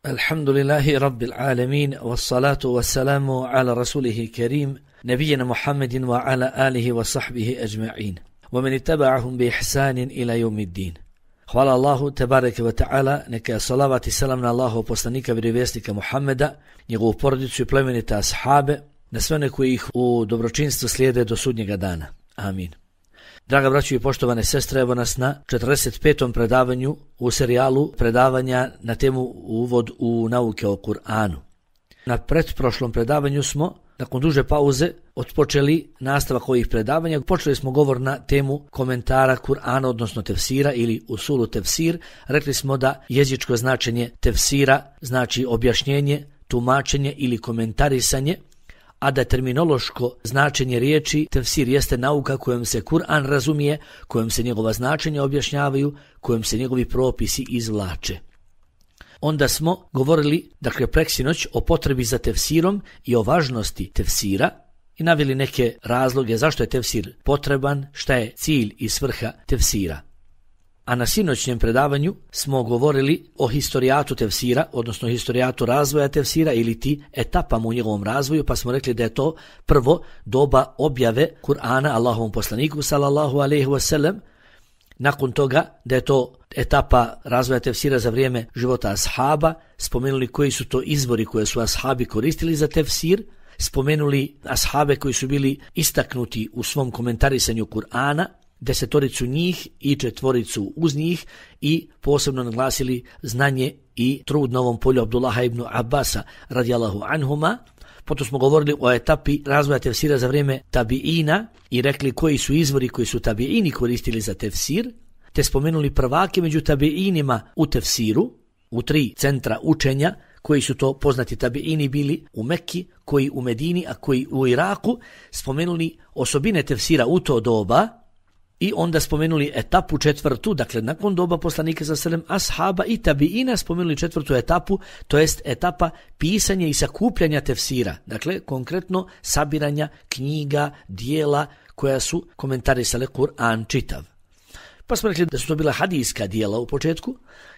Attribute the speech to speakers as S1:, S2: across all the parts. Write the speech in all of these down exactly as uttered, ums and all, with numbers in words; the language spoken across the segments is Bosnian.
S1: Alhamdulillahi Rabbil Alamin, wassalatu wassalamu ala rasulihi karim, nabijena Muhammedin wa ala alihi wa sahbihi ajma'in, wa man ittaba'ahum bi ihsanin ila yawmiddin. Hvala Allahu tebareke ve ta'ala, neka je salavat i salam na Allahu poslanika vjerovjesnika Muhammeda, njegovu porodicu i plemenite ashabe, na sve one koji ih u dobročinstvu slijede do sudnjega dana. Amin. Draga braćo i poštovane sestre, evo nas na četrdeset petom predavanju u serijalu predavanja na temu Uvod u nauke o Kur'anu. Na pretprošlom predavanju smo, nakon duže pauze, otpočeli nastavak ovih predavanja. Počeli smo govor na temu komentara Kur'ana, odnosno tefsira ili usulu tefsir. Rekli smo da jezičko značenje tefsira znači objašnjenje, tumačenje ili komentarisanje, a da terminološko značenje riječi tefsir jeste nauka kojom se Kur'an razumije, kojom se njegova značenja objašnjavaju, kojom se njegovi propisi izvlače. Onda smo govorili, dakle preksinoć, o potrebi za tefsirom i o važnosti tefsira i naveli neke razloge zašto je tefsir potreban, šta je cilj i svrha tefsira. A na sinoćnjem predavanju smo govorili o historijatu tefsira, odnosno historijatu razvoja tefsira ili ti etapama u njegovom razvoju, pa smo rekli da je to prvo doba objave Kur'ana Allahovom poslaniku sallallahu alejhi ve sellem, nakon toga da je to etapa razvoja tefsira za vrijeme života ashaba, spomenuli koji su to izvori koje su ashabi koristili za tefsir, spomenuli ashabe koji su bili istaknuti u svom komentarisanju Kur'ana, desetoricu njih i četvoricu uz njih i posebno naglasili znanje i trud na ovom polju Abdullaha ibn Abbasa radijallahu anhuma. Potom smo govorili o etapi razvoja tefsira za vrijeme tabiina i rekli koji su izvori koji su tabiini koristili za tefsir, te spomenuli prvake među tabiinima u tefsiru, u tri centra učenja, koji su to poznati tabiini bili u Mekki, koji u Medini, a koji u Iraku, spomenuli osobine tefsira u to doba i onda spomenuli etapu četvrtu, dakle nakon doba poslanika sa selem ashaba i tabiina spomenuli četvrtu etapu, to jest etapa pisanja i sakupljanja tefsira, dakle konkretno sabiranja knjiga, dijela koja su komentarisale Kur'an čitav. Pa smo rekli da su to bila hadijska dijela u početku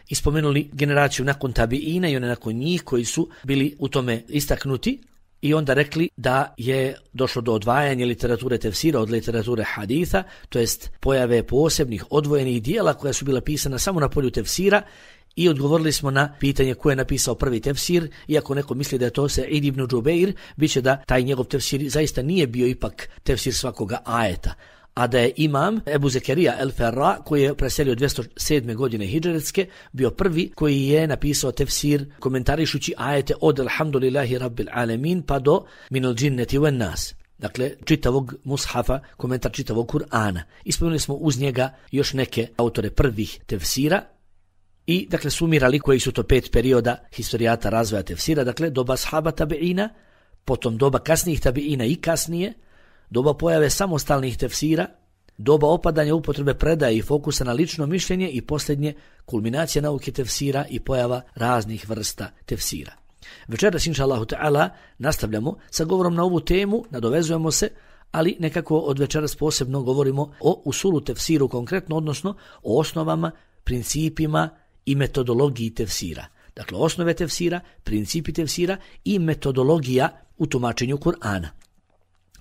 S1: i spomenuli generaciju nakon tabiina i one nakon njih koji su bili u tome istaknuti. I onda rekli da je došlo do odvajanja literature tefsira od literature haditha, to jest pojave posebnih odvojenih dijela koja su bila pisana samo na polju tefsira i odgovorili smo na pitanje ko je napisao prvi tefsir, iako neko misli da je to Sa'id ibn Džubeir, bit će da taj njegov tefsir zaista nije bio ipak tefsir svakoga ajeta, a da je imam Ebu Zekerija el-Ferra, koji je preselio dvjesto sedme godine hidžretske, bio prvi koji je napisao tefsir komentarišući ajete od Alhamdulillahi Rabbil Alamin pa do Minal džinneti wan nas. Dakle, čitavog mushafa, komentar čitavog Kur'ana. Ispomenuli smo uz njega još neke autore prvih tefsira i dakle sumirali koji su to pet perioda historijata razvoja tefsira, dakle doba ashaba tabiina, potom doba kasnijih tabiina i kasnije, doba pojave samostalnih tefsira, doba opadanja upotrebe predaje i fokusa na lično mišljenje i posljednje kulminacija nauke tefsira i pojava raznih vrsta tefsira. Večeras, inša Allahu ta'ala, nastavljamo sa govorom na ovu temu, nadovezujemo se, ali nekako od večeras posebno govorimo o usulu tefsiru konkretno, odnosno o osnovama, principima i metodologiji tefsira. Dakle, osnove tefsira, principi tefsira i metodologija u tumačenju Kur'ana.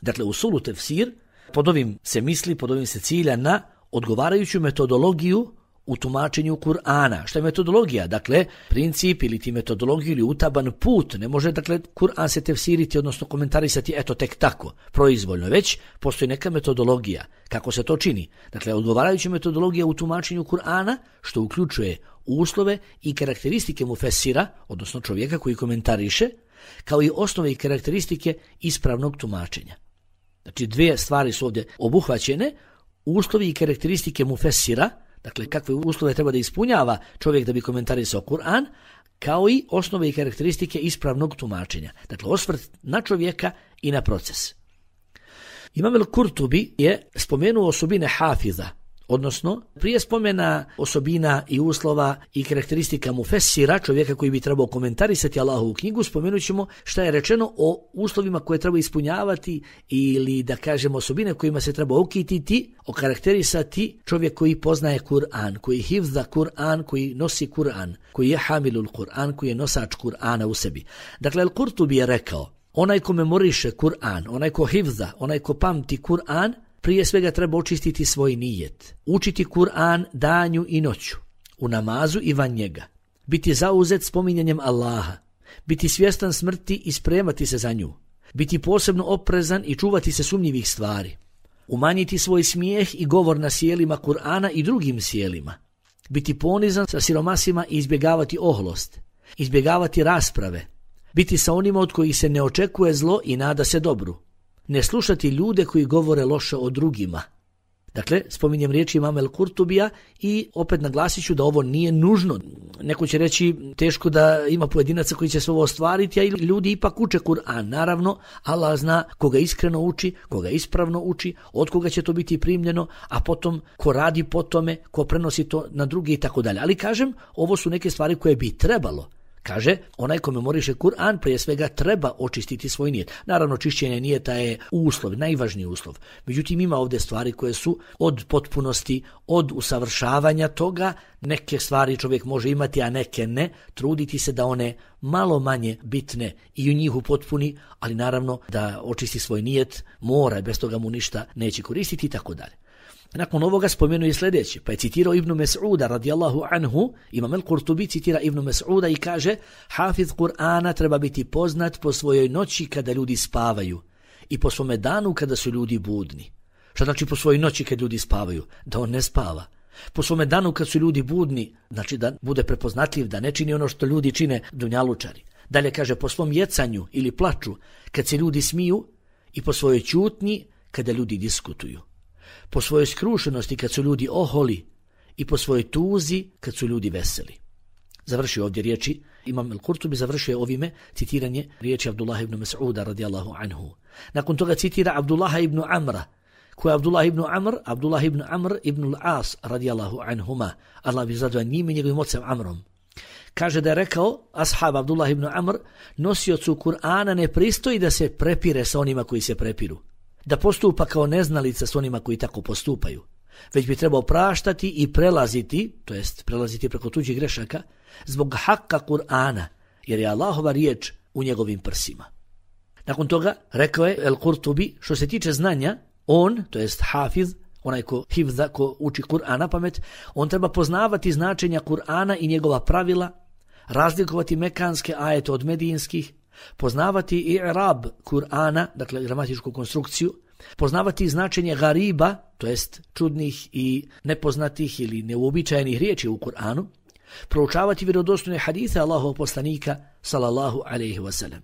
S1: Dakle, usulu tefsir, pod ovim se misli, pod ovim se cilja na odgovarajuću metodologiju u tumačenju Kur'ana. Šta je metodologija? Dakle, princip ili ti metodologiju ili utaban put. Ne može, dakle, Kur'an se tefsiriti, odnosno komentarisati eto tek tako, proizvoljno, već postoji neka metodologija. Kako se to čini? Dakle, odgovarajuća metodologija u tumačenju Kur'ana, što uključuje uslove i karakteristike mufesira, odnosno čovjeka koji komentariše, kao i osnove i karakteristike ispravnog tumačenja. Znači, dvije stvari su ovdje obuhvaćene, uslovi i karakteristike mufesira, dakle kakve uslove treba da ispunjava čovjek da bi komentarisao Kur'an, kao i osnove i karakteristike ispravnog tumačenja. Dakle, osvrt na čovjeka i na proces. Imam el-Kurtubi je spomenuo osobine hafiza, Odnosno, prije spomena osobina i uslova i karakteristika mufessira, čovjeka koji bi trebao komentarisati Allahovu knjigu, spomenut ćemo šta je rečeno o uslovima koje treba ispunjavati ili da kažemo osobine kojima se treba okititi, okarakterisati čovjek koji poznaje Kur'an, koji hifza Kur'an, koji nosi Kur'an, koji je hamilul Kur'an, koji je nosač Kur'ana u sebi. Dakle, Al-Kurtubi je rekao, onaj ko memoriše Kur'an, onaj ko hifza, onaj ko pamti Kur'an, prije svega treba očistiti svoj nijet, učiti Kur'an danju i noću, u namazu i van njega, biti zauzet spominjanjem Allaha, biti svjestan smrti i spremati se za nju, biti posebno oprezan i čuvati se sumnjivih stvari, umanjiti svoj smijeh i govor na sjelima Kur'ana i drugim sjelima, biti ponizan sa siromasima i izbjegavati oholost, izbjegavati rasprave, biti sa onima od kojih se ne očekuje zlo i nada se dobru, ne slušati ljude koji govore loše o drugima. Dakle, spominjem riječi imama Al-Kurtubija i opet naglasit ću da ovo nije nužno. Neko će reći teško da ima pojedinaca koji će sve ovo ostvariti, a ljudi ipak uče Kur'an. Naravno, Allah zna koga iskreno uči, koga ispravno uči, od koga će to biti primljeno, a potom ko radi po tome, ko prenosi to na druge i tako dalje. Ali kažem, ovo su neke stvari koje bi trebalo. Kaže, onaj ko memoriše Kur'an prije svega treba očistiti svoj nijet. Naravno, čišćenje nijeta je uslov, najvažniji uslov. Međutim, ima ovdje stvari koje su od potpunosti, od usavršavanja toga. Neke stvari čovjek može imati, a neke ne. Truditi se da one malo manje bitne i u njih upotpuni, ali naravno da očisti svoj nijet mora, bez toga mu ništa neće koristiti i tako dalje. Nakon ovoga spomenuje sljedeće, pa je citirao Ibnu Mes'uda radijallahu anhu, imam Al-Kurtubi citira Ibnu Mes'uda i kaže, hafiz Kur'ana treba biti poznat po svojoj noći kada ljudi spavaju i po svome danu kada su ljudi budni. Šta znači po svojoj noći kad ljudi spavaju? Da on ne spava. Po svome danu kad su ljudi budni, znači da bude prepoznatljiv, da ne čini ono što ljudi čine dunjalučari. Dalje kaže, po svom jecanju ili plaču kad se ljudi smiju i po svojoj ćutnji kada ljudi diskutuju. Po svojoj skrušenosti kad su ljudi oholi i po svojoj tuzi kad su ljudi veseli. Završio ovdje riječi, imam Al-Kurtubi završio ovime citiranje riječi Abdullah ibn Mas'uda radijallahu anhu. Nakon toga citira Abdullah ibn Amra, ko je Abdullah ibn Amr, Abdullah ibn Amr ibn al-As radijallahu anhuma, Allah bi zadovoljan njim i njegovim ocem Amrom. Kaže da je rekao ashab Abdullah ibn Amr, nosiocu Kur'ana ne pristoji da se prepire sa onima koji se prepiru, da postupa kao neznalica s onima koji tako postupaju, već bi trebao praštati i prelaziti, to jest prelaziti preko tuđih grešaka, zbog hakka Kur'ana, jer je Allahova riječ u njegovim prsima. Nakon toga rekao je Al-Kurtubi, što se tiče znanja, on, to jest hafiz, onaj ko hifza, ko uči Kur'an na pamet, on treba poznavati značenja Kur'ana i njegova pravila, razlikovati mekanske ajete od medijinskih, poznavati i'rab Kur'ana, dakle gramatičku konstrukciju, poznavati značenje gariba, to jest čudnih i nepoznatih ili neuobičajenih riječi u Kur'anu, proučavati vjerodostojne hadise Allahovog poslanika sallallahu alejhi ve sellem.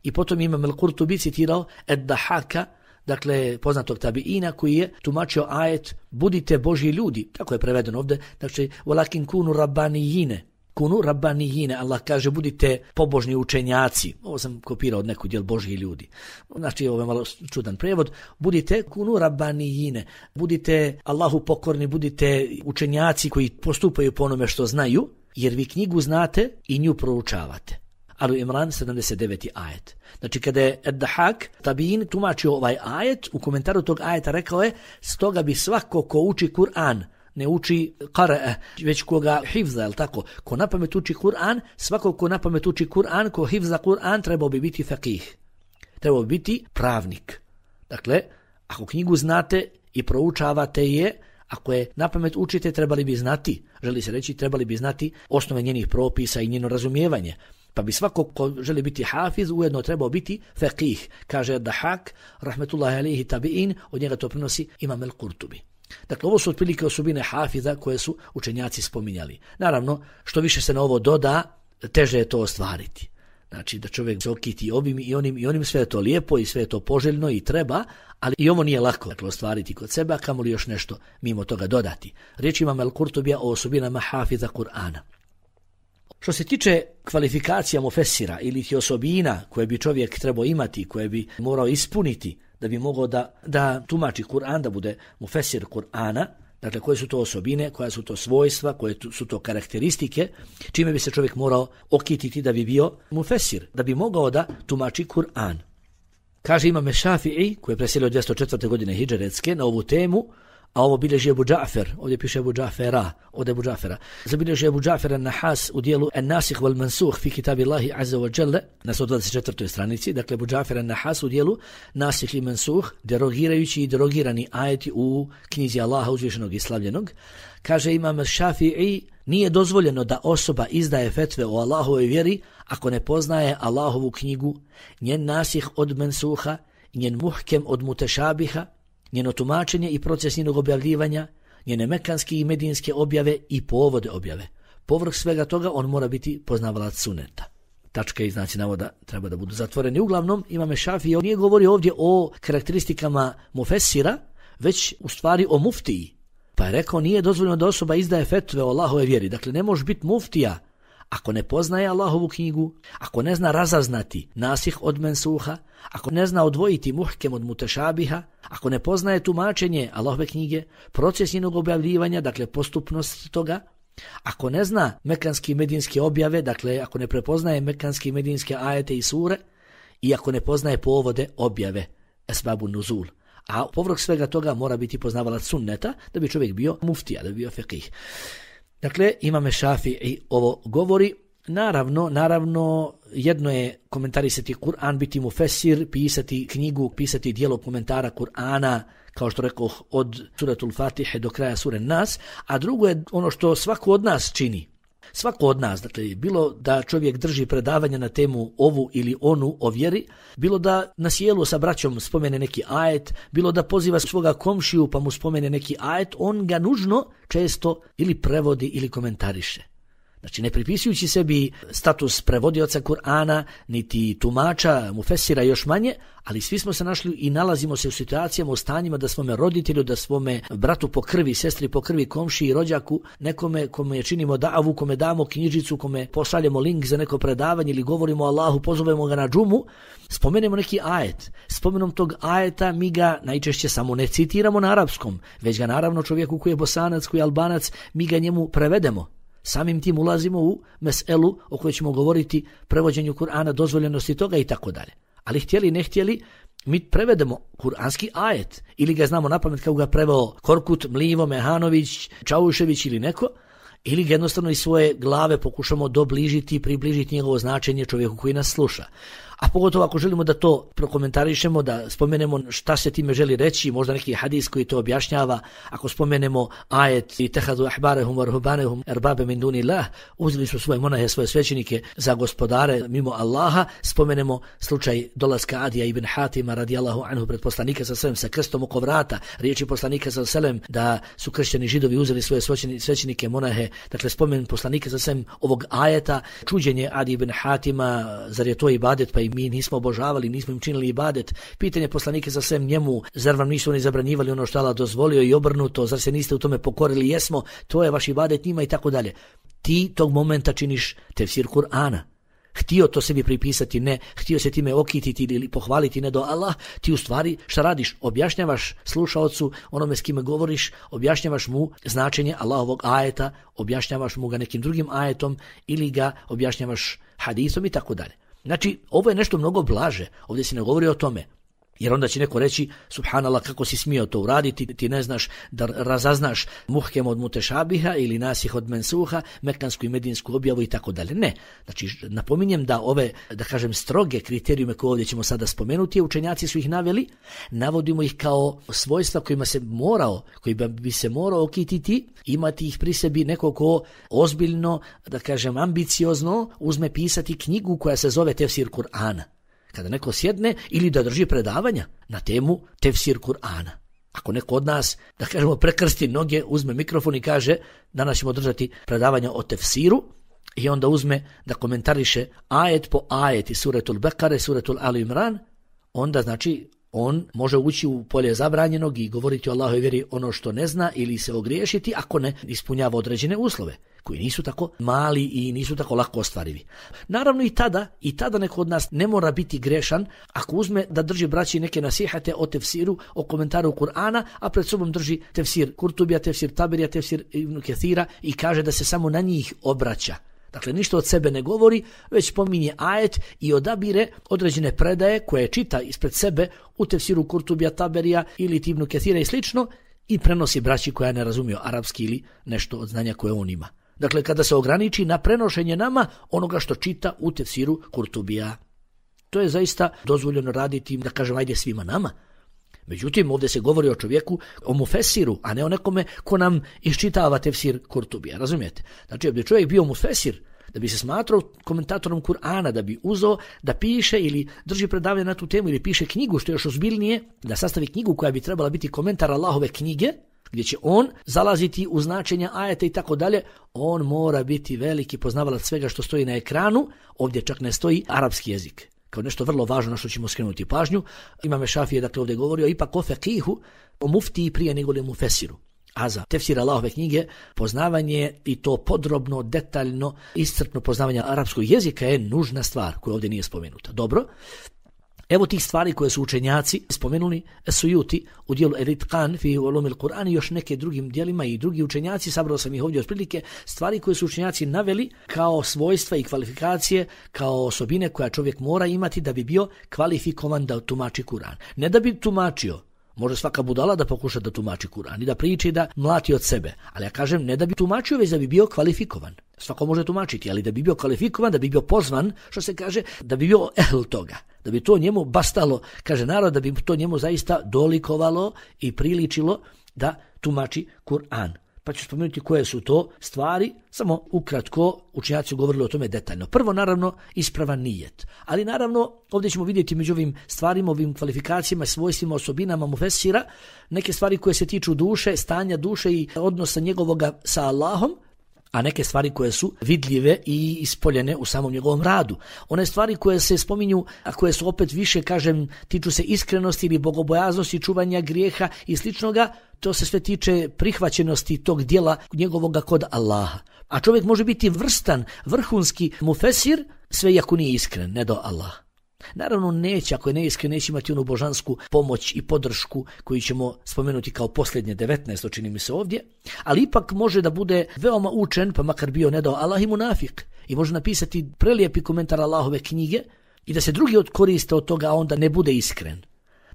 S1: I potom imam Al-Kurtubi citirao Ad-Dahaka, dakle poznatog tabiina koji je tumačio ajet budite Božji ljudi, tako je prevedeno ovdje, znači walakin kunu rabbanijine, kunu rabbanijine, Allah kaže budite pobožni učenjaci, ovo sam kopirao od nekog djel Božji ljudi, znači ovo je malo čudan prevod, budite kunu rabbanijine, budite Allahu pokorni, budite učenjaci koji postupaju po onome što znaju, jer vi knjigu znate i nju proučavate. Ali Imran sedamdeset deveti ajet. Znači kada je Ad-Dahak tabiin tumačio ovaj ajet, u komentaru tog ajeta rekao je, stoga bi svako ko uči Kur'an, ne uči qara'a, već koga hifza, je li tako? Ko napamet uči Kur'an, svako ko napamet uči Kur'an, ko hifza Kur'an, trebao bi biti faqih. Trebao bi biti pravnik. Dakle, ako knjigu znate i proučavate je, ako je napamet učite, trebali bi znati, želi se reći, trebali bi znati osnove njenih propisa i njeno razumijevanje. Pa bi svako ko želi biti hafiz ujedno trebao biti faqih, kaže Dahak, rahmetullahi alejhi tabiin, od njega to prenosi imam Al-Kurtubi. Dakle, ovo su otprilike osobine hafiza koje su učenjaci spominjali. Naravno, što više se na ovo doda, teže je to ostvariti. Znači, da čovjek se okiti ovim i onim i onim, sve je to lijepo i sve je to poželjno i treba, ali i ovo nije lako dakle, ostvariti kod sebe, a kamoli još nešto mimo toga dodati. Riječ imam Al-Kurtubija o osobinama hafiza Kur'ana. Što se tiče kvalifikacija mufessira ili ti osobina koje bi čovjek trebao imati, koje bi morao ispuniti da bi mogao da, da tumači Kur'an, da bude mufessir Kur'ana, Dakle, koje su to osobine, koja su to svojstva, koje su to karakteristike, čime bi se čovjek morao okititi da bi bio mufesir, da bi mogao da tumači Kur'an. Kaže Imam Šafi'i, koji je preselio dvjesto četvrte godine hidžretske, na ovu temu, a ovo bilježi Ebu Džafer, ovdje piše Ebu Džafera, od Ebu Džafera. Zabilježi Ebu Džafer Nahas u dijelu En-Nasih wal-Mansuh fi kitabillahi azza wa jalla na sto dvadeset četvrtoj stranici, dakle Ebu Džafer Nahas u dijelu Nasih i Mansuh, derogirajući i derogirani ajeti u knjizi Allaha uzvišenog i slavljenog. Kaže Imam Šafi'i, nije dozvoljeno da osoba izdaje fetve o Allahovoj vjeri ako ne poznaje Allahovu knjigu, njen nasih od mensuha, njen muhkem od mutešabiha, njeno tumačenje i proces njenog objavljivanja, njene mekanske i medinske objave i povode objave. Povrh svega toga on mora biti poznavalac suneta. Tačke i znaci navoda treba da budu zatvoreni. Uglavnom, Imam Šafii nije govorio ovdje o karakteristikama mufesira, već u stvari o muftiji. Pa je rekao, nije dozvoljeno da osoba izdaje fetve o Allahove vjeri. Dakle, ne može biti muftija ako ne poznaje Allahovu knjigu, ako ne zna razaznati nasih od mensuha, ako ne zna odvojiti muhkem od mutešabiha, ako ne poznaje tumačenje Allahove knjige, proces njenog objavljivanja, dakle postupnost toga, ako ne zna mekanski i medinske objave, dakle ako ne prepoznaje mekanski i medinske ajete i sure, i ako ne poznaje povode objave, esbabu nuzul. A povrh svega toga mora biti poznavalac sunneta da bi čovjek bio muftija, da bi bio fekih. Dakle, Imam Šafii ovo govori. Naravno, naravno, jedno je komentarisati Kur'an, biti mufesir, pisati knjigu, pisati dijelo komentara Kur'ana, kao što rekoh, od suratul Fatihe do kraja sure Nas, a drugo je ono što svako od nas čini. Svako od nas, dakle, bilo da čovjek drži predavanje na temu ovu ili onu o vjeri, bilo da na sjelu sa braćom spomene neki ajet, bilo da poziva svoga komšiju pa mu spomene neki ajet, on ga nužno često ili prevodi ili komentariše. Znači, ne pripisujući sebi status prevodioca Kur'ana, niti tumača, mufesira još manje, ali svi smo se našli i nalazimo se u situacijama, u stanjima da svome roditelju, da svome bratu po krvi, sestri po krvi, komšiji, rođaku, nekome kome činimo davu, kome damo knjižicu, kome pošaljemo link za neko predavanje ili govorimo o Allahu, pozovemo ga na džumu, spomenemo neki ajet. Spomenom tog ajeta mi ga najčešće samo ne citiramo na arapskom, već ga naravno čovjeku koji je Bosanac, koji je Albanac, mi ga njemu prevedemo. Samim tim ulazimo u meselu o kojoj ćemo govoriti, prevođenju Kur'ana, dozvoljenosti toga i tako dalje. Ali htjeli ne htjeli, mi prevedemo kuranski ajet ili ga znamo napamet kako ga preveo Korkut, Mlivo, Mehanović, Čaušević ili neko, ili ga jednostavno iz svoje glave pokušamo dobližiti i približiti njegovo značenje čovjeku koji nas sluša. A pogotovo ako želimo da to prokomentarišemo, da spomenemo šta se time želi reći, možda neki hadis koji to objašnjava, ako spomenemo ajet i tehadu ahbarehum varhubanehum erbabe min dunillah, uzeli su svoje monahe, svoje svećenike za gospodare mimo Allaha, spomenemo slučaj dolaska Adija ibn Hatima radijallahu anhu pred poslanika sa selem sa krstom oko vrata, riječi poslanika sa selem da su kršćani Židovi uzeli svoje svećenike monahe, dakle spomen poslanika sa selem ovog ajeta, čuđenje Adi ibn Hatima, zar je to ibadet, pa i mi nismo obožavali, nismo im činili ibadet. Pitanje poslanike za svem njemu, zar vam nisu oni zabranjivali ono što Allah dozvolio i obrnuto, zar se niste u tome pokorili, jesmo, to je vaš ibadet njima i tako dalje. Ti tog momenta činiš tefsir Kur'ana. Htio to sebi pripisati, ne, htio se time okititi ili pohvaliti, ne do Allah, ti u stvari šta radiš? Objašnjavaš slušaocu, onome s kime govoriš, objašnjavaš mu značenje Allahovog ajeta, objašnjavaš mu ga nekim drugim ajetom ili ga objašnjavaš hadisom i tako dalje. Znači, ovo je nešto mnogo blaže, ovdje se ne govori o tome. Jer onda će neko reći, subhanallah, kako si smio to uraditi, ti ne znaš da razaznaš muhkem od mutešabiha ili nasih od mensuha, mekansku i medinsku objavu i tako dalje. Ne. Znači, napominjem da ove, da kažem, stroge kriterijume koje ovdje ćemo sada spomenuti, učenjaci su ih naveli, navodimo ih kao svojstva kojima se morao, koji bi se morao okititi, imati ih pri sebi neko ko ozbiljno, da kažem, ambiciozno uzme pisati knjigu koja se zove tefsir Kur'ana. Kada neko sjedne ili da drži predavanja na temu tefsir Kur'ana. Ako neko od nas, da kažemo, prekrsti noge, uzme mikrofon i kaže danas ćemo držati predavanja o tefsiru i onda uzme da komentariše ajet po ajet iz suretul Bekare, suretul Ali Imran, onda znači on može ući u polje zabranjenog i govoriti o Allahove vjeri ono što ne zna ili se ogriješiti ako ne ispunjava određene uslove. koji nisu tako mali i nisu tako lako ostvarivi. Naravno i tada, i tada neko od nas ne mora biti grešan ako uzme da drži braći neke nasihate o tefsiru, o komentaru Kur'ana, a pred sobom drži tefsir Kurtubija, tefsir Taberija, tefsir Ibn Kethira i kaže da se samo na njih obraća. Dakle, ništa od sebe ne govori, već spominje ajet i odabire određene predaje koje čita ispred sebe u tefsiru Kurtubija, Taberija ili Ibn Kethira i slično i prenosi braći koja ne razumiju arapski ili nešto od znanja koje on ima. Dakle, kada se ograniči na prenošenje nama onoga što čita u tefsiru Kurtubija. To je zaista dozvoljeno raditi, da kažem, ajde svima nama. Međutim, ovdje se govori o čovjeku, o mufesiru, a ne o nekome ko nam iščitava tefsir Kurtubija, razumijete? Znači, da bi čovjek bio mufesir, da bi se smatrao komentatorom Kur'ana, da bi uzeo da piše ili drži predavanje na tu temu ili piše knjigu, što je još ozbiljnije, da sastavi knjigu koja bi trebala biti komentar Allahove knjige, gdje će on zalaziti u značenja ajeta i tako dalje, on mora biti veliki poznavalac svega što stoji na ekranu, ovdje čak ne stoji arapski jezik. Kao nešto vrlo važno na što ćemo skrenuti pažnju. Imam Šafije dakle ovdje govorio ipak o fekihu, o muftiji prije nego li mufesiru. A za tefsir Allahove knjige poznavanje i to podrobno, detaljno, iscrpno poznavanje arapskog jezika je nužna stvar koja ovdje nije spomenuta. Dobro. Evo tih stvari koje su učenjaci spomenuli Sujuti u dijelu Eritqan fi ulumil Kur'an i još neke drugim dijelima i drugi učenjaci, sabrao sam ih ovdje otprilike, stvari koje su učenjaci naveli kao svojstva i kvalifikacije, kao osobine koja čovjek mora imati da bi bio kvalifikovan da tumači Kur'an. Ne da bi tumačio, može svaka budala da pokuša da tumači Kur'an i da priči da mlati od sebe, ali ja kažem ne da bi tumačio, već da bi bio kvalifikovan. Svako može tumačiti, ali da bi bio kvalifikovan, da bi bio pozvan, što se kaže, da bi bio ehl toga, da bi to njemu bastalo, kaže narod, da bi to njemu zaista dolikovalo i priličilo da tumači Kur'an. Pa ću spomenuti koje su to stvari, samo ukratko učenjaci su govorili o tome detaljno. Prvo, naravno, ispravan nijet. Ali naravno, ovdje ćemo vidjeti među ovim stvarima, ovim kvalifikacijama, svojstvima, osobinama mufesira, neke stvari koje se tiču duše, stanja duše i odnosa njegovoga sa Allahom, a neke stvari koje su vidljive i ispoljene u samom njegovom radu. One stvari koje se spominju, a koje su opet više, kažem, tiču se iskrenosti ili bogobojaznosti, čuvanja grijeha i sličnoga, to se sve tiče prihvaćenosti tog dijela njegovoga kod Allaha. A čovjek može biti vrstan, vrhunski mufesir, sve iako nije iskren, ne do Allaha. Naravno neće, ako je neiskren, neće imati onu božansku pomoć i podršku koju ćemo spomenuti kao posljednje devetnaest, čini mi se ovdje, ali ipak može da bude veoma učen, pa makar bio ne dao Allah i munafik, i može napisati prelijepi komentar Allahove knjige i da se drugi koriste od toga, a onda ne bude iskren.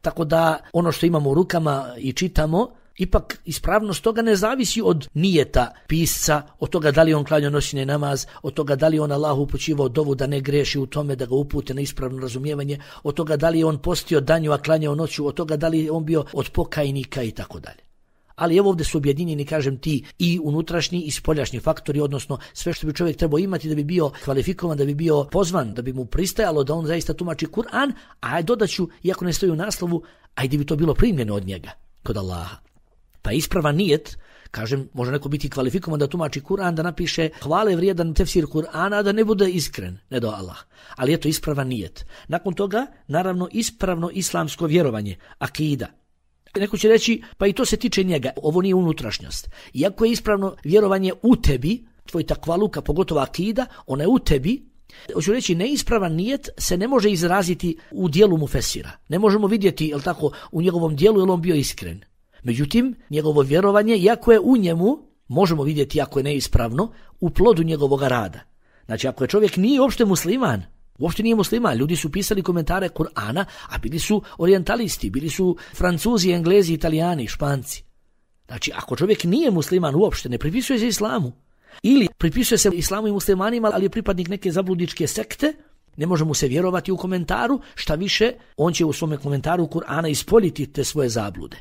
S1: Tako da ono što imamo u rukama i čitamo, ipak ispravnost toga ne zavisi od nijeta pisca, od toga da li on klanjao noćni namaz, od toga da li on Allahu upućivao dovu da ne greši u tome, da ga upute na ispravno razumijevanje, od toga da li on postio danju a klanjao noću, od toga da li on bio od pokajnika i tako dalje. Ali evo ovdje su objedinjeni, kažem ti, i unutrašnji i spoljašnji faktori, odnosno sve što bi čovjek trebao imati da bi bio kvalifikovan, da bi bio pozvan, da bi mu pristajalo da on zaista tumači Kur'an, a dodaću, iako ne stoji u naslovu, ajde bi to bilo primljeno od njega kod Allaha. Pa ispravan nijet, kažem, može neko biti kvalifikovan da tumači Kur'an, da napiše hvale vrijedan tefsir Kur'ana, da ne bude iskren, ne do Allah. Ali eto ispravan nijet. Nakon toga, naravno, ispravno islamsko vjerovanje, akida. Neko će reći, pa i to se tiče njega, ovo nije unutrašnjost. Iako je ispravno vjerovanje u tebi, tvoj takvaluka, pogotovo akida, ona je u tebi, hoću reći, neispravan nijet se ne može izraziti u dijelu mufesira. Ne možemo vidjeti, jel tako, u njegovom dijelu, jel on bio iskren. Međutim, njegovo vjerovanje, iako je u njemu, možemo vidjeti ako je neispravno, u plodu njegovog rada. Znači, ako je čovjek nije uopšte musliman, uopšte nije musliman, ljudi su pisali komentare Kur'ana, a bili su orijentalisti, bili su Francuzi, Englezi, Italijani, Španci. Znači, ako čovjek nije musliman uopšte, ne pripisuje se islamu, ili pripisuje se islamu i muslimanima, ali je pripadnik neke zabludičke sekte, ne može mu se vjerovati u komentaru, šta više, on će u svome komentaru Kur'ana ispoljiti te svoje zablude.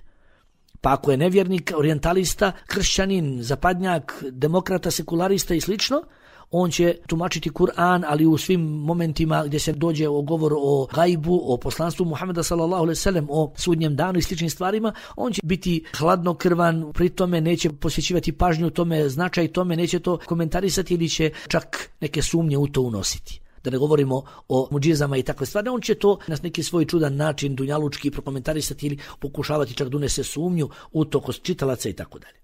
S1: Pa ako je nevjernik, orijentalista, kršćanin, zapadnjak, demokrata, sekularista i slično, on će tumačiti Kur'an, ali u svim momentima gdje se dođe o govor o gajbu, o poslanstvu Muhameda sallallahu alejhi ve sellem, o sudnjem danu i sličnim stvarima, on će biti hladnokrvan, pri tome neće posvećivati pažnju tome, značaj tome, neće to komentarisati ili će čak neke sumnje u to unositi. Da ne govorimo o muđizama i takve stvari, on će to na neki svoj čudan način dunjalučki prokomentarisati ili pokušavati čak da unese sumnju u to kod čitalaca i tako dalje.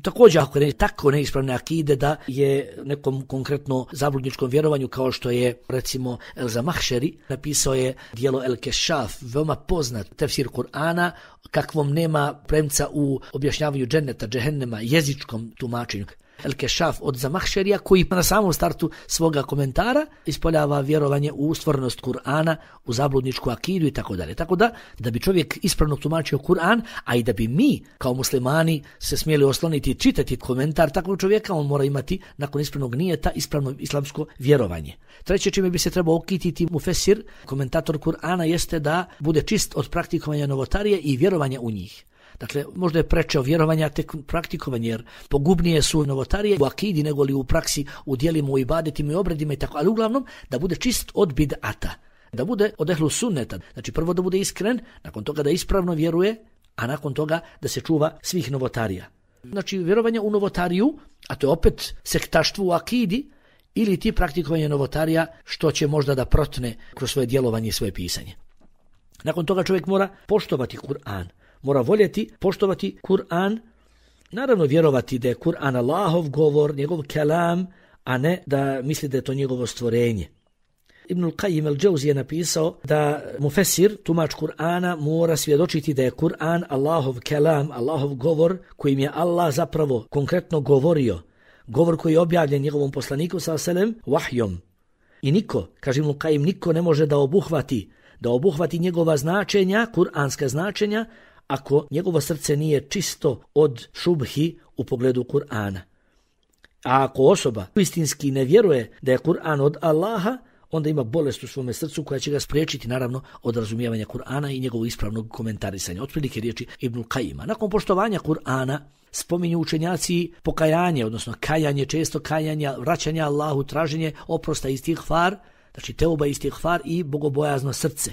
S1: Također, ako je tako neispravne akide da je nekom konkretno zabludničkom vjerovanju, kao što je recimo El-Zamahšeri, napisao je dijelo El-Kešaf, veoma poznat tefsir Kur'ana, kakvom nema premca u objašnjavanju dženneta, džehennema, jezičkom tumačenju. El-Kešaf od Zamahšerija, koji na samom startu svoga komentara ispoljava vjerovanje u stvornost Kur'ana, u zabludničku akidu i tako dalje. Tako da, da bi čovjek ispravno tumačio Kur'an, a i da bi mi kao muslimani se smjeli osloniti i čitati komentar takvog čovjeka, on mora imati nakon ispravnog nijeta ispravno islamsko vjerovanje. Treće čime bi se trebao okititi mufesir, komentator Kur'ana, jeste da bude čist od praktikovanja novotarije i vjerovanja u njih. Dakle, možda je preče vjerovanja tek praktikovanje, jer pogubnije su novotarije u akidi nego li u praksi, u djelima, u ibadetima i obredima i tako, ali uglavnom da bude čist od bid'ata, da bude od ehlu sunneta. Znači prvo da bude iskren, nakon toga da ispravno vjeruje, a nakon toga da se čuva svih novotarija. Znači vjerovanje u novotariju, a to je opet sektaštvo u akidi, ili ti praktikovanje novotarija što će možda da protne kroz svoje djelovanje i svoje pisanje. Nakon toga čovjek mora poštovati Kur'an. Mora voljeti, poštovati Kur'an, naravno vjerovati da je Kur'an Allahov govor, njegov kelam, a ne da misli da je to njegovo stvorenje. Ibnul Qayyim al-Jawzi je napisao da mufesir, tumač Kur'ana, mora svjedočiti da je Kur'an Allahov kelam, Allahov govor, kojim je Allah zapravo konkretno govorio, govor koji je objavljen njegovom poslaniku sallallahu alejhi ve sellem vahjom. I niko, kaže Ibnul Qayyim, niko ne može da obuhvati, da obuhvati njegova značenja, kuranska značenja, ako njegovo srce nije čisto od šubhi u pogledu Kur'ana. A ako osoba istinski ne vjeruje da je Kur'an od Allaha, onda ima bolest u svome srcu koja će ga spriječiti naravno od razumijevanja Kur'ana i njegovog ispravnog komentarisanja. Otprilike riječi Ibnul Qayyima. Nakon poštovanja Kur'ana spominju učenjaci pokajanje, odnosno kajanje, često kajanja, vraćanje Allahu, traženje oprosta, istighfar, znači teuba, istighfar i bogobojazno srce.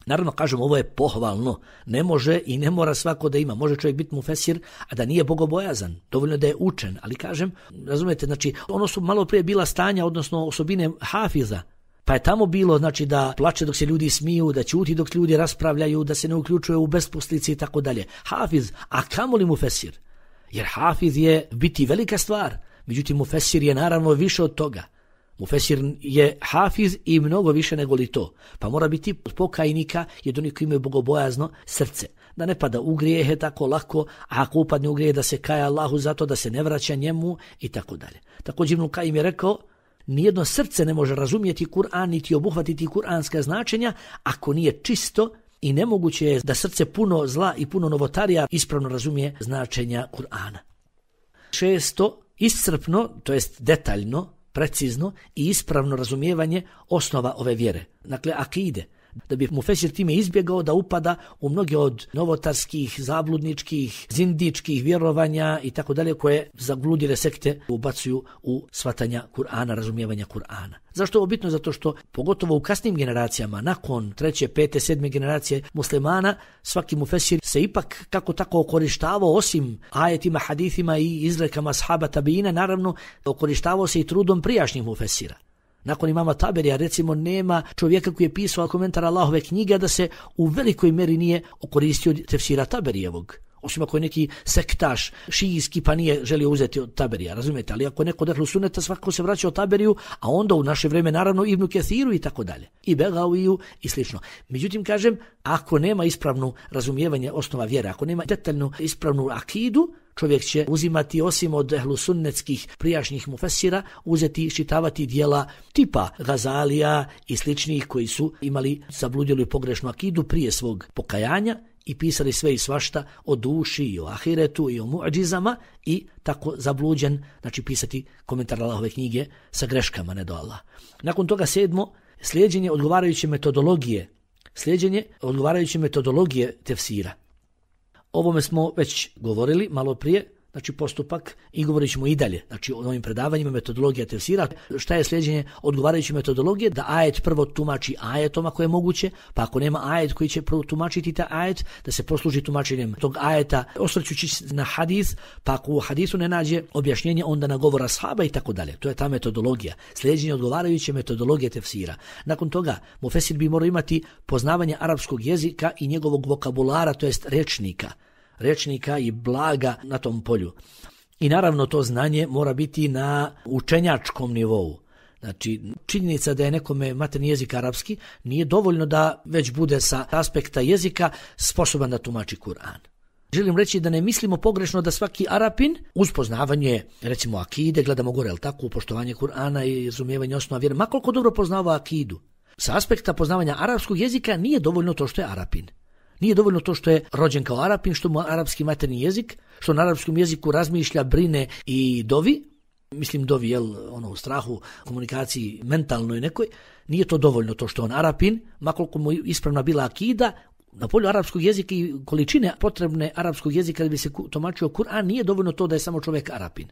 S1: Naravno, kažem, ovo je pohvalno. Ne može i ne mora svako da ima. Može čovjek biti mufesir, a da nije bogobojazan. Dovoljno da je učen. Ali kažem, razumijete, znači, ono su malo prije bila stanja, odnosno osobine hafiza. Pa je tamo bilo, znači, da plače dok se ljudi smiju, da ćuti dok ljudi raspravljaju, da se ne uključuje u besposlici i tako dalje. Hafiz, a kamoli mufesir? Jer hafiz je biti velika stvar. Međutim, mufesir je naravno više od toga. Mufesir je hafiz i mnogo više nego li to. Pa mora biti pokajnika i od onih koji imaju bogobojazno srce. Da ne pada u grijehe tako lako, a ako upadne u grijehe da se kaja Allahu zato da se ne vraća njemu i tako dalje. Također Ibnul Qayyim je rekao, nijedno srce ne može razumjeti Kur'an niti obuhvatiti kuranska značenja ako nije čisto i nemoguće je da srce puno zla i puno novotarija ispravno razumije značenja Kur'ana. Šesto, iscrpno, to jest detaljno, precizno i ispravno razumijevanje osnova ove vjere, dakle akide, da bi mufesir time izbjegao da upada u mnoge od novotarskih, zabludničkih, zindičkih vjerovanja i tako dalje koje zabludile sekte ubacuju u shvatanja Kur'ana, razumijevanja Kur'ana. Zašto je ovo bitno? Zato što pogotovo u kasnim generacijama, nakon treće, pete, sedme generacije muslimana, svaki mufesir se ipak kako tako okorištavao osim ajetima, hadithima i izrekama ashaba tabiina, naravno okorištavao se i trudom prijašnjih mufesira. Nakon imama Taberija, recimo, nema čovjeka koji je pisao komentar Allahove knjige da se u velikoj meri nije okoristio tefsira Taberijevog. Osim ako je neki sektaš šijijski pa nije želio uzeti od Taberija, razumijete? Ali ako je neko ehlu suneta, svakako se vraća od Taberiju, a onda u naše vrijeme naravno Ibnu Kethiru i tako dalje. I Begaviju i slično. Međutim, kažem, ako nema ispravnu razumijevanje osnova vjere, ako nema detaljnu ispravnu akidu, čovjek će uzimati osim od ehlu sunnetskih prijašnjih mufesira, uzeti i čitavati dijela tipa Gazalija i sličnih koji su imali zabludjelu i pogrešnu akidu prije svog pokajanja i pisali sve i svašta o duši i o ahiretu i o muadžizama i tako zabluđen, znači pisati komentar Allahove knjige sa greškama, ne do Allah. Nakon toga sedmo, slijeđenje odgovarajuće metodologije, slijeđenje odgovarajuće metodologije tefsira. Ovome smo već govorili malo prije, znači postupak i govorit ćemo i dalje. Znači o ovim predavanjima metodologija tefsira. Šta je sljeđenje odgovarajuće metodologije? Da ajet prvo tumači ajetom ako je moguće, pa ako nema ajet koji će prvo tumačiti taj ajet, da se posluži tumačenjem tog ajeta osvrćući na hadis, pa ako u hadisu ne nađe objašnjenje onda na govor ashaba i tako dalje. To je ta metodologija. Sljeđenje odgovarajuće metodologije tefsira. Nakon toga mufesir bi morao imati poznavanje arapskog jezika i njegovog vokabulara, to jest rečnika. rečnika i blaga na tom polju. I naravno to znanje mora biti na učenjačkom nivou. Znači, činjenica da je nekome maternji jezik arapski nije dovoljno da već bude sa aspekta jezika sposoban da tumači Kur'an. Želim reći da ne mislimo pogrešno da svaki Arapin uz poznavanje, recimo akide, gledamo gore, ali tako, poštovanje Kur'ana i razumijevanje osnova vjere, ma koliko dobro poznava akidu. Sa aspekta poznavanja arapskog jezika nije dovoljno to što je Arapin. Nije dovoljno to što je rođen kao Arapin, što mu arapski maternji jezik, što na arapskom jeziku razmišlja, brine i dovi, mislim dovi, jel, ono, u strahu, komunikaciji mentalnoj nekoj, nije to dovoljno to što on Arapin, makoliko mu ispravna bila akida, na polju arapskog jezika i količine potrebne arapskog jezika da bi se tumačio Kur'an, nije dovoljno to da je samo čovjek Arapin.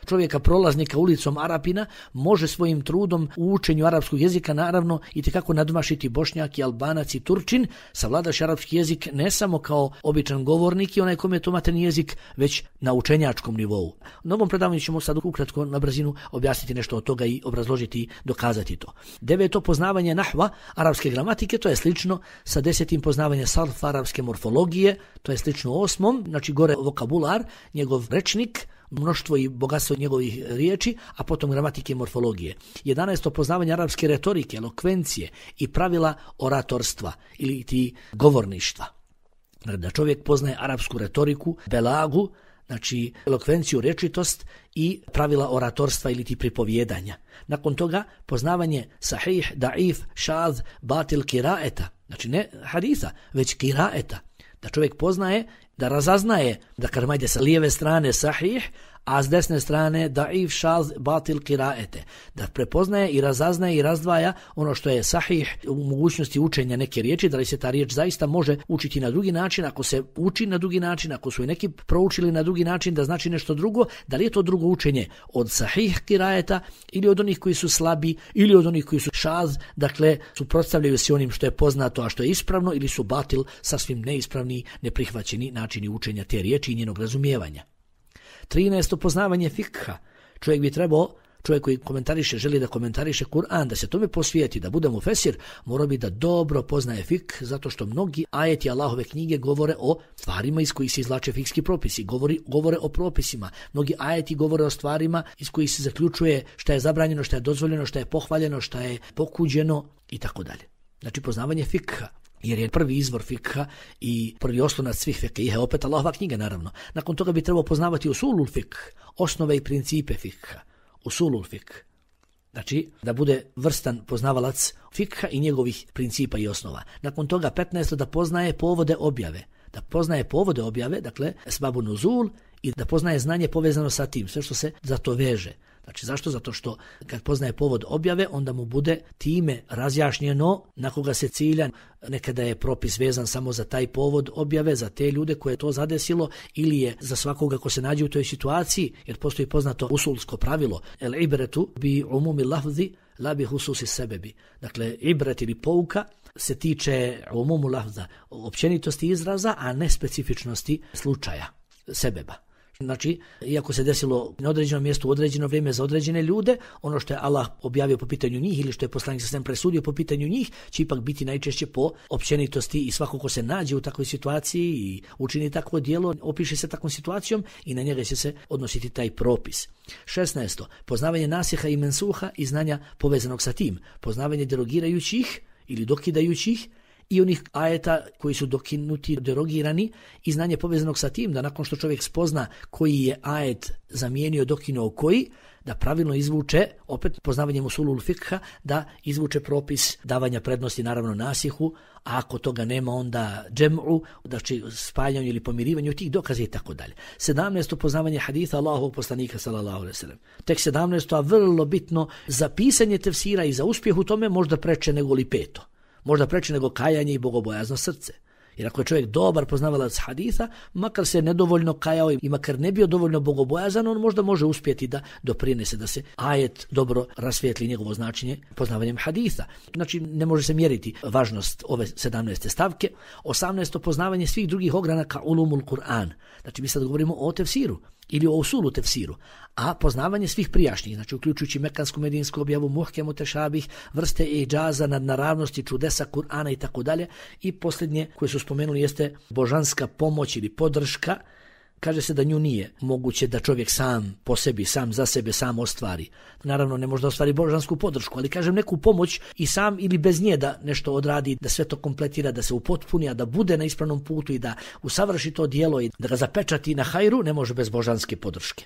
S1: Čovjeka prolaznika ulicom Arapina može svojim trudom u učenju arapskog jezika naravno i tekako nadmašiti Bošnjak i Albanac i Turčin, savladaš arapski jezik ne samo kao običan govornik i onaj kome je to maternji jezik, već na učenjačkom nivou. Na ovom predavanju ćemo sad ukratko na brzinu objasniti nešto od toga i obrazložiti i dokazati to. Deveto, poznavanje nahva, arapske gramatike, to je slično sa desetim poznavanje sarf, arapske morfologije, to je slično osmom, znači gore vokabular, njegov rečnik, mnoštvo i bogatstvo njegovih riječi, a potom gramatike i morfologije. jedanaesto poznavanje arapske retorike, elokvencije i pravila oratorstva ili ti govorništva. Da čovjek poznaje arapsku retoriku, belagu, znači elokvenciju, rečitost i pravila oratorstva ili ti pripovjedanja. Nakon toga poznavanje sahih, daif, šaz, batil, kiraeta, znači ne hadisa, već kiraeta. Da čovjek poznaje, da razaznaje, da kažem ajde sa lijeve strane sahih, a s desne strane daif, šaz, batil, kiraete. Da prepoznaje i razaznaje i razdvaja ono što je sahih u mogućnosti učenja neke riječi, da li se ta riječ zaista može učiti na drugi način, ako se uči na drugi način, ako su i neki proučili na drugi način da znači nešto drugo, da li je to drugo učenje od sahih kiraeta ili od onih koji su slabi ili od onih koji su šaz, dakle suprotstavljaju se onim što je poznato, a što je ispravno, ili su batil, sasvim neispravni, neprihvaćeni načini učenja te riječi i njenog razumijevanja. trinaesto poznavanje fikha. Čovjek bi trebao, čovjek koji komentariše, želi da komentariše Kur'an, da se tome posvijeti, da bude mufesir, mora bi da dobro poznaje fik, zato što mnogi ajeti Allahove knjige govore o stvarima iz kojih se izvlače fikski propisi, govori, govore o propisima. Mnogi ajeti govore o stvarima iz kojih se zaključuje šta je zabranjeno, šta je dozvoljeno, šta je pohvaljeno, šta je pokuđeno i tako dalje. Znači poznavanje fikha, jer je prvi izvor fikha i prvi oslonac svih fikha, opet Allahova knjiga naravno. Nakon toga bi trebao poznavati usulul fikh, osnove i principe fikha, usulul fikh. Znači da bude vrstan poznavalac fikha i njegovih principa i osnova. Nakon toga petnaesto da poznaje povode objave, da poznaje povode objave, dakle esbabu nuzul, i da poznaje znanje povezano sa tim, sve što se za to veže. Znači zašto? Zato što kad poznaje povod objave, onda mu bude time razjašnjeno na koga se cilja. Nekada je propis vezan samo za taj povod objave, za te ljude koje je to zadesilo, ili je za svakoga ko se nađe u toj situaciji, jer postoji poznato usulsko pravilo el ibretu bi umumi lafzi la bi hususi sebebi. Dakle, ibret ili pouka se tiče umumu lafza, općenitosti izraza, a ne specifičnosti slučaja, sebeba. Znači, iako se desilo na određenom mjestu u određeno vrijeme za određene ljude, ono što je Allah objavio po pitanju njih ili što je poslanik sa svem presudio po pitanju njih, će ipak biti najčešće po općenitosti i svako ko se nađe u takvoj situaciji i učini takvo djelo, opiše se takvom situacijom i na njega će se odnositi taj propis. šesnaesto. Poznavanje nasiha i mensuha i znanja povezanog sa tim. Poznavanje derogirajućih ili dokidajućih i onih ajeta koji su dokinuti, derogirani, i znanje povezanog sa tim da nakon što čovjek spozna koji je ajet zamijenio, dokinuo koji, da pravilno izvuče, opet poznavanjem usulul fikha, da izvuče propis davanja prednosti naravno nasihu, a ako toga nema onda džem'u, znači spajanju ili pomirivanju tih dokaza i tako dalje. sedamnaesto. Poznavanje haditha Allahovog poslanika sallallahu alejhi ve sellem. Tek sedamnaesto. a vrlo bitno za pisanje tefsira i za uspjeh u tome možda preče nego li peto. Možda preče nego kajanje i bogobojazno srce. Jer ako je čovjek dobar poznavalac haditha, makar se nedovoljno kajao i makar ne bio dovoljno bogobojazan, on možda može uspjeti da doprinese da se ajet dobro rasvijetli njegovo značenje poznavanjem haditha. Znači ne može se mjeriti važnost ove sedamnaeste stavke. osamnaesto poznavanje svih drugih ogranaka ulumul Kur'an. Znači mi sad govorimo o tefsiru ili o usulu tefsiru, a poznavanje svih prijašnjih, znači uključujući mekansku medinsku objavu, muhkemu tešabih, vrste iđaza, nadnaravnosti, čudesa Kur'ana i tako dalje. I posljednje koje su spomenuli jeste božanska pomoć ili podrška. Kaže se da nju nije moguće da čovjek sam po sebi, sam za sebe, sam ostvari. Naravno ne može da ostvari božansku podršku, ali kažem neku pomoć i sam ili bez nje da nešto odradi, da sve to kompletira, da se upotpuni, a da bude na ispravnom putu i da usavrši to djelo i da ga zapečati na hajru, ne može bez božanske podrške.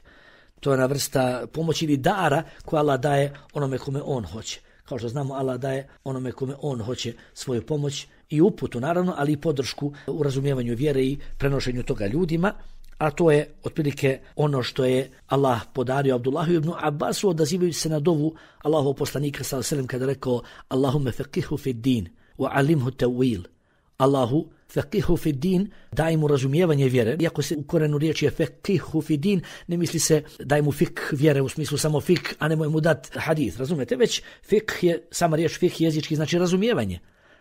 S1: To je ona vrsta pomoći ili dara koja Allah daje onome kome on hoće. Kao što znamo, Allah daje onome kome on hoće svoju pomoć i uputu, naravno, ali i podršku u razumijevanju vjere i prenošenju toga ljudima. A to je otprilike ono što je Allah podario Abdullahu ibn Abbasu, odazivajući se na dovu Allahov poslanika sallallahu alejhi ve sellem kada rekao: Allahumme faqihu fid din wa alimhu tawil. Allahu faqihu fid din, daj mu razumijevanje vjere. Iako se u korenu riječi je faqihu fid din, ne misli se daj mu fik vjere u smislu samo fik, a nemoj mu dat hadith, razumete? Već fik je, sama riječ fik jezički znači razumijevanje.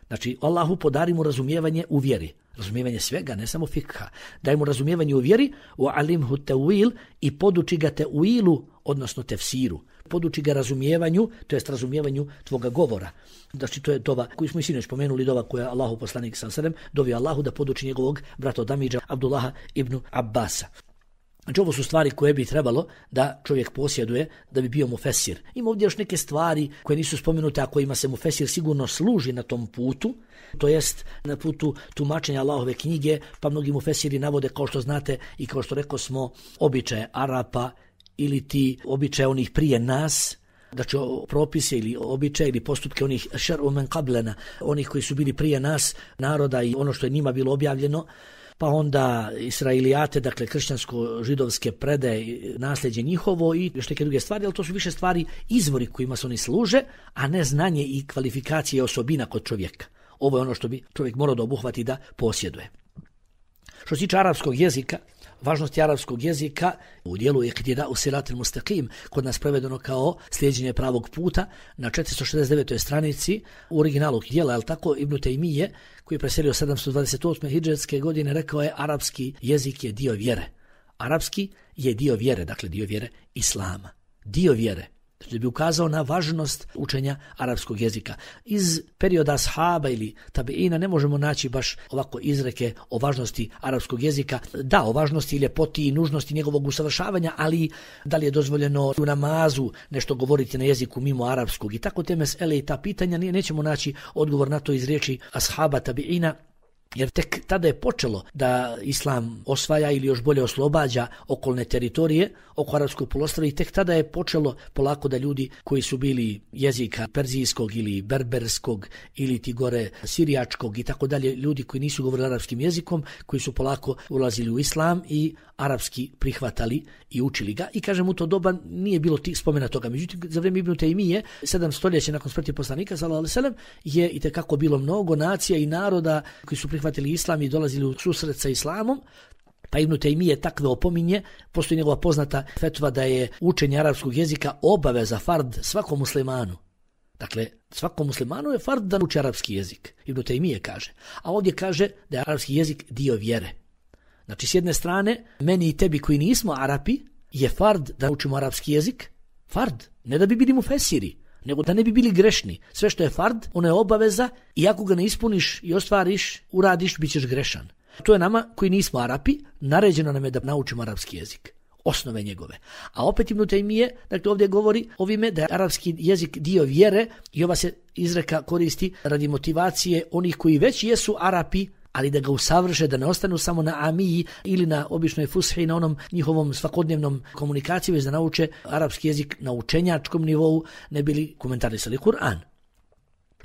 S1: Znači, Allahu podari mu razumijevanje u vjeri. Razumijevanje svega, ne samo fikha. Daj mu razumijevanje u vjeri, u alimhu tawil, i poduči ga teuilu, odnosno tefsiru. Poduči ga razumijevanju, to jest razumijevanju tvoga govora. Znači, to je dova koju smo i sinoć spomenuli, dova koja je Allahu poslanik sallallahu alejhi ve sellem dovio Allahu da poduči njegovog brata Damidža Abdullaha ibn Abbasa. Znači, ovo su stvari koje bi trebalo da čovjek posjeduje da bi bio mufesir. Ima ovdje još neke stvari koje nisu spomenute, a kojima se mufesir sigurno služi na tom putu, to jest na putu tumačenja Allahove knjige, pa mnogi mufesiri navode, kao što znate i kao što rekao smo, običaje Arapa ili ti običaje onih prije nas, znači propise ili običaje ili postupke onih šer'u men qablena, onih koji su bili prije nas, naroda i ono što je njima bilo objavljeno, pa onda Israilijate, dakle kršćansko-židovske predaje, nasljeđe njihovo i još neke druge stvari, ali to su više stvari izvori kojima se oni služe, a ne znanje i kvalifikacije osobina kod čovjeka. Ovo je ono što bi čovjek morao da obuhvati da posjeduje. Što se tiče arapskog jezika, važnost arapskog jezika u dijelu iqtida usirat al-mustaqim, kod nas prevedeno kao slijeđenje pravog puta, na četiristo šezdeset devetoj stranici u originalu dijela, al tako Ibn Taymije, koji je preselio sedamsto dvadeset osme hidžretske godine, rekao je: arapski jezik je dio vjere. Arapski je dio vjere, dakle dio vjere islama. Dio vjere. Da bi ukazao na važnost učenja arapskog jezika. Iz perioda ashaba ili tabeina ne možemo naći baš ovako izreke o važnosti arapskog jezika. Da, o važnosti i ljepoti i nužnosti njegovog usavršavanja, ali da li je dozvoljeno u namazu nešto govoriti na jeziku mimo arapskog i tako te mesele i ta pitanja, nećemo naći odgovor na to iz riječi ashaba tabeina. Jer tek tada je počelo da islam osvaja ili još bolje oslobađa okolne teritorije oko arapskog poluostrva i tek tada je počelo polako da ljudi koji su bili jezika perzijskog ili berberskog ili ti gore sirijačkog i tako dalje, ljudi koji nisu govorili arapskim jezikom, koji su polako ulazili u islam i arapski prihvatali i učili ga. I kažem, u to doba nije bilo tih spomena toga. Međutim, za vrijeme Ibn Taymije, sedam stoljeća nakon smrti poslanika sallallahu alejhi ve sellem, je i tekako bilo mnogo nacija i naroda koji su prihvatili islam i dolazili u susret sa islamom. Pa Ibn Taymije takve opominje, postoji njegova poznata fetva da je učenje arapskog jezika obaveza, fard svakom muslimanu. Dakle, svakom muslimanu je fard da uči arapski jezik. Ibn Taymije kaže. A ovdje kaže da je arapski jezik dio vjere. Znači, s jedne strane, meni i tebi koji nismo Arapi, je fard da učimo arapski jezik. Fard, ne da bi bili mufesiri, nego da ne bi bili grešni. Sve što je fard, ono je obaveza i ako ga ne ispuniš i ostvariš, uradiš, bit ćeš grešan. To je nama koji nismo Arapi, naređeno nam je da naučimo arapski jezik. Osnove njegove. A opet Ibn Taymije, dakle ovdje govori ovime da je arapski jezik dio vjere i ova se izreka koristi radi motivacije onih koji već jesu Arapi, ali da ga usavrše, da ne ostanu samo na amiji ili na običnoj fushi, na onom njihovom svakodnevnom komunikaciji, već da nauče arapski jezik na učenjačkom nivou, ne bili komentarisali Kur'an.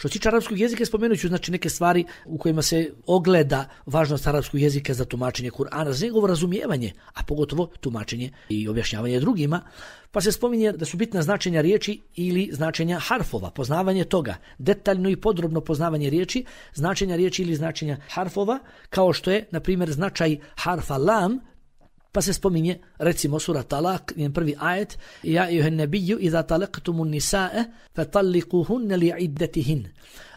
S1: Što se tiče arapskog jezika, spomenut ću znači neke stvari u kojima se ogleda važnost arapskog jezika za tumačenje Kur'ana, za njegovo razumijevanje, a pogotovo tumačenje i objašnjavanje drugima. Pa se spominje da su bitna značenja riječi ili značenja harfova, poznavanje toga, detaljno i podrobno poznavanje riječi, značenja riječi ili značenja harfova, kao što je, na primjer, značaj harfa lam. Pa se spominje, recimo, sura Talak, njen prvi ajet, ja ejuhen nebiju iza talaqtumun nisae fatalliquhunna li'iddatihin.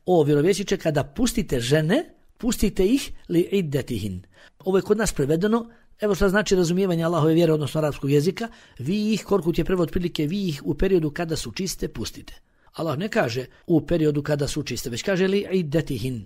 S1: O vjerovjesniče, kada pustite žene, pustite ih li'iddatihin. Ovo je kod nas prevedeno. Evo što znači razumijevanje Allahove vjere, odnosno arapskog jezika. Vi ih, Korkut je prevod otprilike, vi ih u periodu kada su čiste pustite. Allah ne kaže u periodu kada su čiste, već kaže li'iddatihin.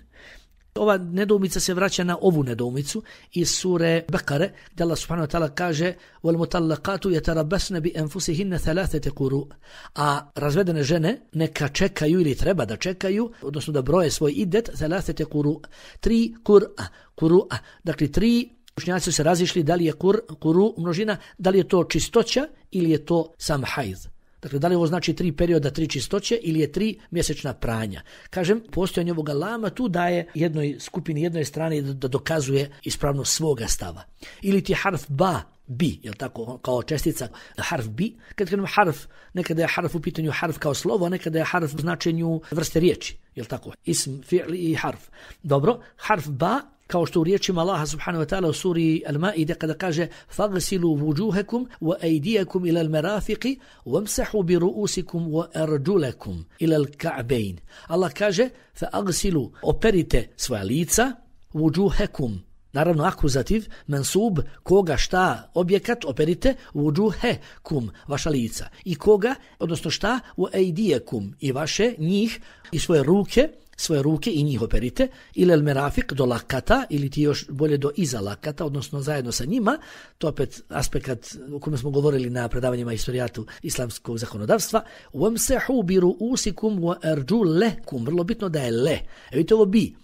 S1: Ova nedoumica se vraća na ovu nedoumicu iz sure Bekare, gdje Allah subhanahu wa ta'ala kaže وَالْمُتَلَّقَاتُ يَتَرَبَّسْنَ بِأَنْفُسِهِنَّ ثَلَاثَةَ قُرُوء. A razvedene žene neka čekaju ili treba da čekaju, odnosno da broje svoj idet, ثَلَاثَةَ قُرُوء. Tri kur'a, kur'a, dakle tri. Učenjaci su se razišli da li je kur, kuru množina, da li je to čistoća ili je to sam hajz. Dakle, da li ovo znači tri perioda, tri čistoće ili je tri mjesečna pranja. Kažem, postojanje ovoga lama tu daje jednoj skupini, jednoj strani da dokazuje ispravnost svoga stava. Ili ti harf ba, bi, jel tako, kao čestica, harf bi. Kad kažem harf, nekada je harf u pitanju harf kao slovo, a nekada je harf u značenju vrste riječi, jel tako, ism, fi'li i harf. Dobro, harf ba, kao što u riječima Allaha subhanahu wa ta'ala u suri Al-Ma'ide kada kaže فَغْسِلُوا وُجُوهَكُمْ وَأَيْدِيَكُمْ إِلَى الْمَرَافِقِ وَامْسَحُوا بِرُؤُوسِكُمْ وَأَرْجُلَكُمْ إِلَى الْكَعْبَيْنِ. Allah kaže فَأَغْسِلُوا, operite svoja lica, وُجُوهَكُمْ, naravno akuzativ, mensub, koga, šta, objekat, operite, وُجُوهَكُمْ, vaša lica. I koga, odnosno šta, وَأَيْدِيَكُمْ, i vaše, njih, i svoje ruke, svoje ruke i njih operite, ili el merafik do lakata, ili ti još bolje do iza lakata, odnosno zajedno sa njima. To opet aspekt o kojem smo govorili na predavanjima historijatu islamskog zakonodavstva. Wamsahu bi ru'usikum wa arjulakum. Vrlo bitno da je le. E vidite ovo bi.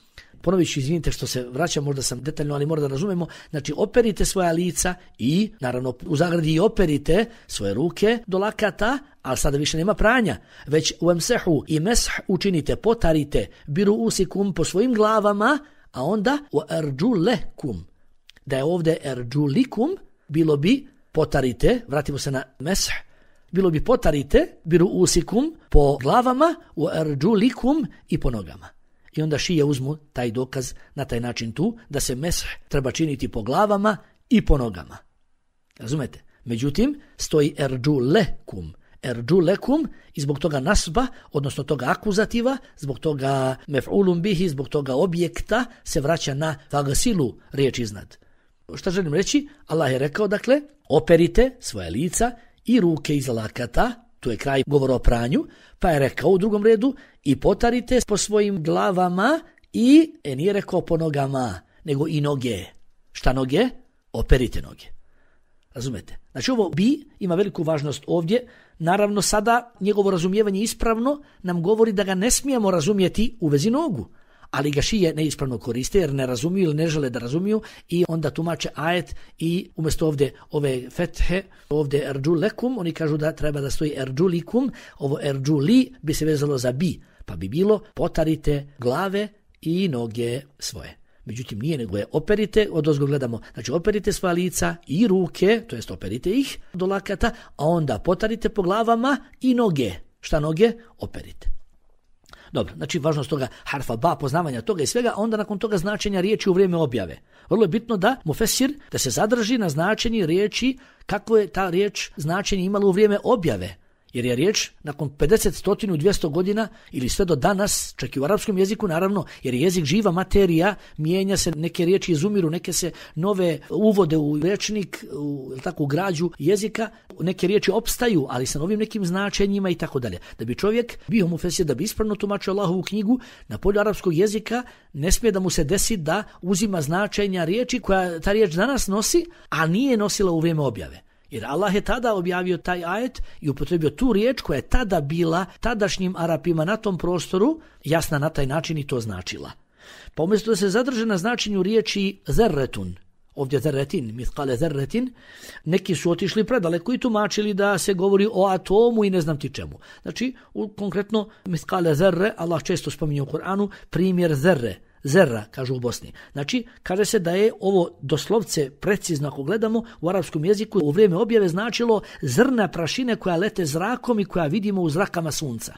S1: Ponovit ću, izvinite što se vraćam, možda sam detaljno, ali mora da razumemo. Znači, operite svoja lica i, naravno, u zagradi i operite svoje ruke do lakata, ali sada više nema pranja, već wamsahu i mesh učinite, potarite, biru usikum po svojim glavama, a onda u arjulakum. Da je ovdje arjulikum, bilo bi potarite, vratimo se na mesh, bilo bi potarite, biru usikum po glavama, u arjulikum i po nogama. I onda šije uzmu taj dokaz na taj način tu, da se mesh treba činiti po glavama i po nogama. Razumete? Međutim, stoji arjulekum. Erđulekum i zbog toga nasba, odnosno toga akuzativa, zbog toga mef'ulum bihi, zbog toga objekta se vraća na fagsilu, riječ iznad. Šta želim reći? Allah je rekao, dakle, operite svoje lica i ruke iz lakata, tu je kraj govora o pranju, pa je rekao u drugom redu i potarite po svojim glavama i, e nije rekao po nogama, nego i noge. Šta noge? Operite noge. Razumete? Znači ovo bi ima veliku važnost ovdje. Naravno sada njegovo razumijevanje ispravno nam govori da ga ne smijemo razumjeti u vezi nogu. Ali ga šije neispravno koriste jer ne razumiju ili ne žele da razumiju i onda tumače ajet i umjesto ovdje ove fethe, ovdje erđulekum, oni kažu da treba da stoji erđulikum, ovo erđuli bi se vezalo za bi, pa bi bilo potarite glave i noge svoje. Međutim nije, nego je operite, odozgo gledamo, znači operite svoja lica i ruke, to jest operite ih do lakata, a onda potarite po glavama i noge. Šta noge? Operite. Dobro, znači važnost toga harfa ba, poznavanja toga i svega, a onda nakon toga značenja riječi u vrijeme objave. Vrlo je bitno da mufesir, da se zadrži na značenje riječi, kako je ta riječ značenje imala u vrijeme objave. Jer je riječ nakon pedeset, sto, dvjesto godina ili sve do danas, čak i u arapskom jeziku naravno, jer je jezik živa materija, mijenja se, neke riječi izumiru, neke se nove uvode u rečnik, u, tako, u građu jezika, neke riječi opstaju, ali sa novim nekim značenjima i tako dalje. Da bi čovjek bio mufesir, da bi ispravno tumačio Allahovu knjigu, na polju arapskog jezika ne smije da mu se desi da uzima značenja riječi koja ta riječ danas nosi, a nije nosila u vrijeme objave. Jer Allah je tada objavio taj ajet i upotrebio tu riječ koja je tada bila tadašnjim Arapima na tom prostoru jasna na taj način i to značila. Pa umjesto da se zadrže na značenju riječi zerretun, ovdje zerretin, mithqale zerretin, neki su otišli predaleko i tumačili da se govori o atomu i ne znam ti čemu. Znači, u, konkretno, mithqale zerre, Allah često spominje u Kur'anu, primjer zerre, zerra, kažu u Bosni. Znači, kaže se da je ovo doslovce precizno, ako gledamo, u arapskom jeziku u vrijeme objave značilo zrna prašine koja lete zrakom i koja vidimo u zrakama sunca.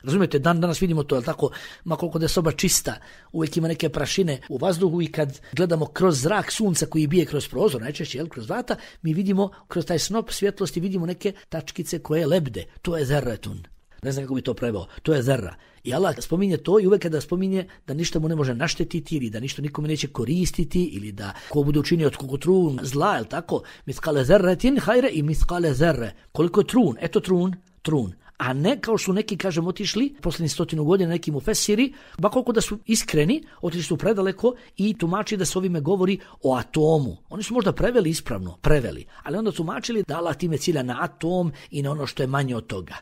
S1: Razumijete, dan danas vidimo to, je tako, ma koliko da je soba čista, uvijek ima neke prašine u vazduhu i kad gledamo kroz zrak sunca koji bije kroz prozor, najčešće jel, kroz vrata, mi vidimo kroz taj snop svjetlosti vidimo neke tačkice koje lebde. To je zerretun. Ne znam kako bi to preveo. To je zerra. I Allah spominje to i uvijek kada spominje da ništa mu ne može naštetiti ili da ništa nikome neće koristiti ili da ko bude učinio od koliko trun zla, je tako? Mithqale zerretin hajre i mithqale zerre. Koliko je trun? Eto trun, trun. A ne kao su neki, kažem, otišli posljednjih stotinu godina neki mufesiri, ba koliko da su iskreni, otišli su predaleko i tumači da se ovime govori o atomu. Oni su možda preveli ispravno, preveli, ali onda tumačili da Allah time cilja na atom i na ono što je manje od toga.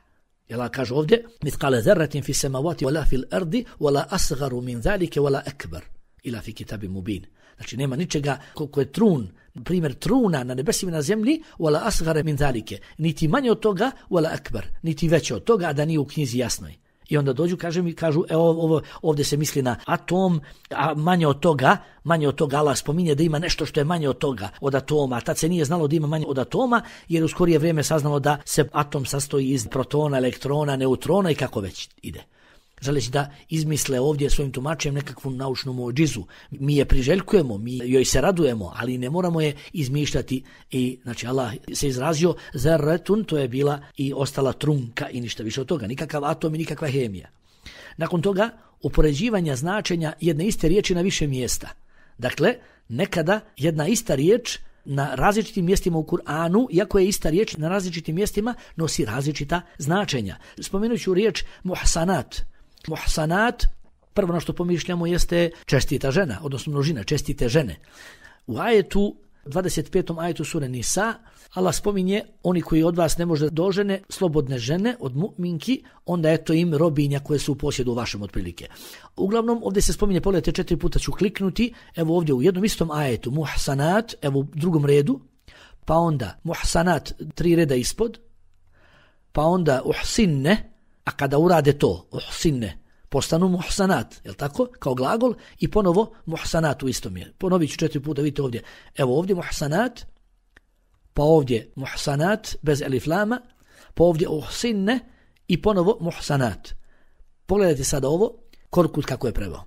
S1: Allah kaže ovdje, mithqale zerratin fi samawati wala fil ardi wala asgharu min zalika wala akbar ila fi kitabin mubin. Znači nema ničega koliko je trun, primjer truna na nebesima na zemlji, wala asghara min zalike, niti manje od toga, wala akbar, niti veće od toga, a da nije u knjizi jasnoj. I onda dođu, kaže mi, kažu, evo, ovo, ovdje se misli na atom, a manje od toga, manje od toga Allah spominje da ima nešto što je manje od toga, od atoma. A tad se nije znalo da ima manje od atoma, jer u skorije vrijeme saznalo da se atom sastoji iz protona, elektrona, neutrona i kako već ide. Želeći da izmisle ovdje svojim tumačem nekakvu naučnu muđizu. Mi je priželjkujemo, mi joj se radujemo, ali ne moramo je izmišljati. I znači Allah se izrazio zerretun, to je bila i ostala trunka i ništa više od toga. Nikakav atom i nikakva hemija. Nakon toga upoređivanja značenja jedne iste riječi na više mjesta. Dakle, nekada jedna ista riječ na različitim mjestima u Kur'anu, iako je ista riječ na različitim mjestima, nosi različita značenja. Spomenut ću riječ muhsanat. Muhsanat, prvo na što pomišljamo jeste čestita žena, odnosno množina, čestite žene. U ajetu, dvadeset petom ajetu sure Nisa, Allah spominje oni koji od vas ne može dožene, slobodne žene od mu'minki, onda eto im robinja koje su u posjedu vašem otprilike. Uglavnom, ovdje se spominje, pogledajte, četiri puta ću kliknuti, evo ovdje u jednom istom ajetu, muhsanat, evo u drugom redu, pa onda muhsanat, tri reda ispod, pa onda uhsinne, a kada urade to, uhsinne, postanu muhsanat, je li tako? Kao glagol i ponovo muhsanat u istom je. Ponovit ću četiri puta, vidite ovdje. Evo ovdje muhsanat, pa ovdje muhsanat bez elif lama, pa ovdje uhsinne i ponovo muhsanat. Pogledajte sada ovo, Korkut kako je preveo.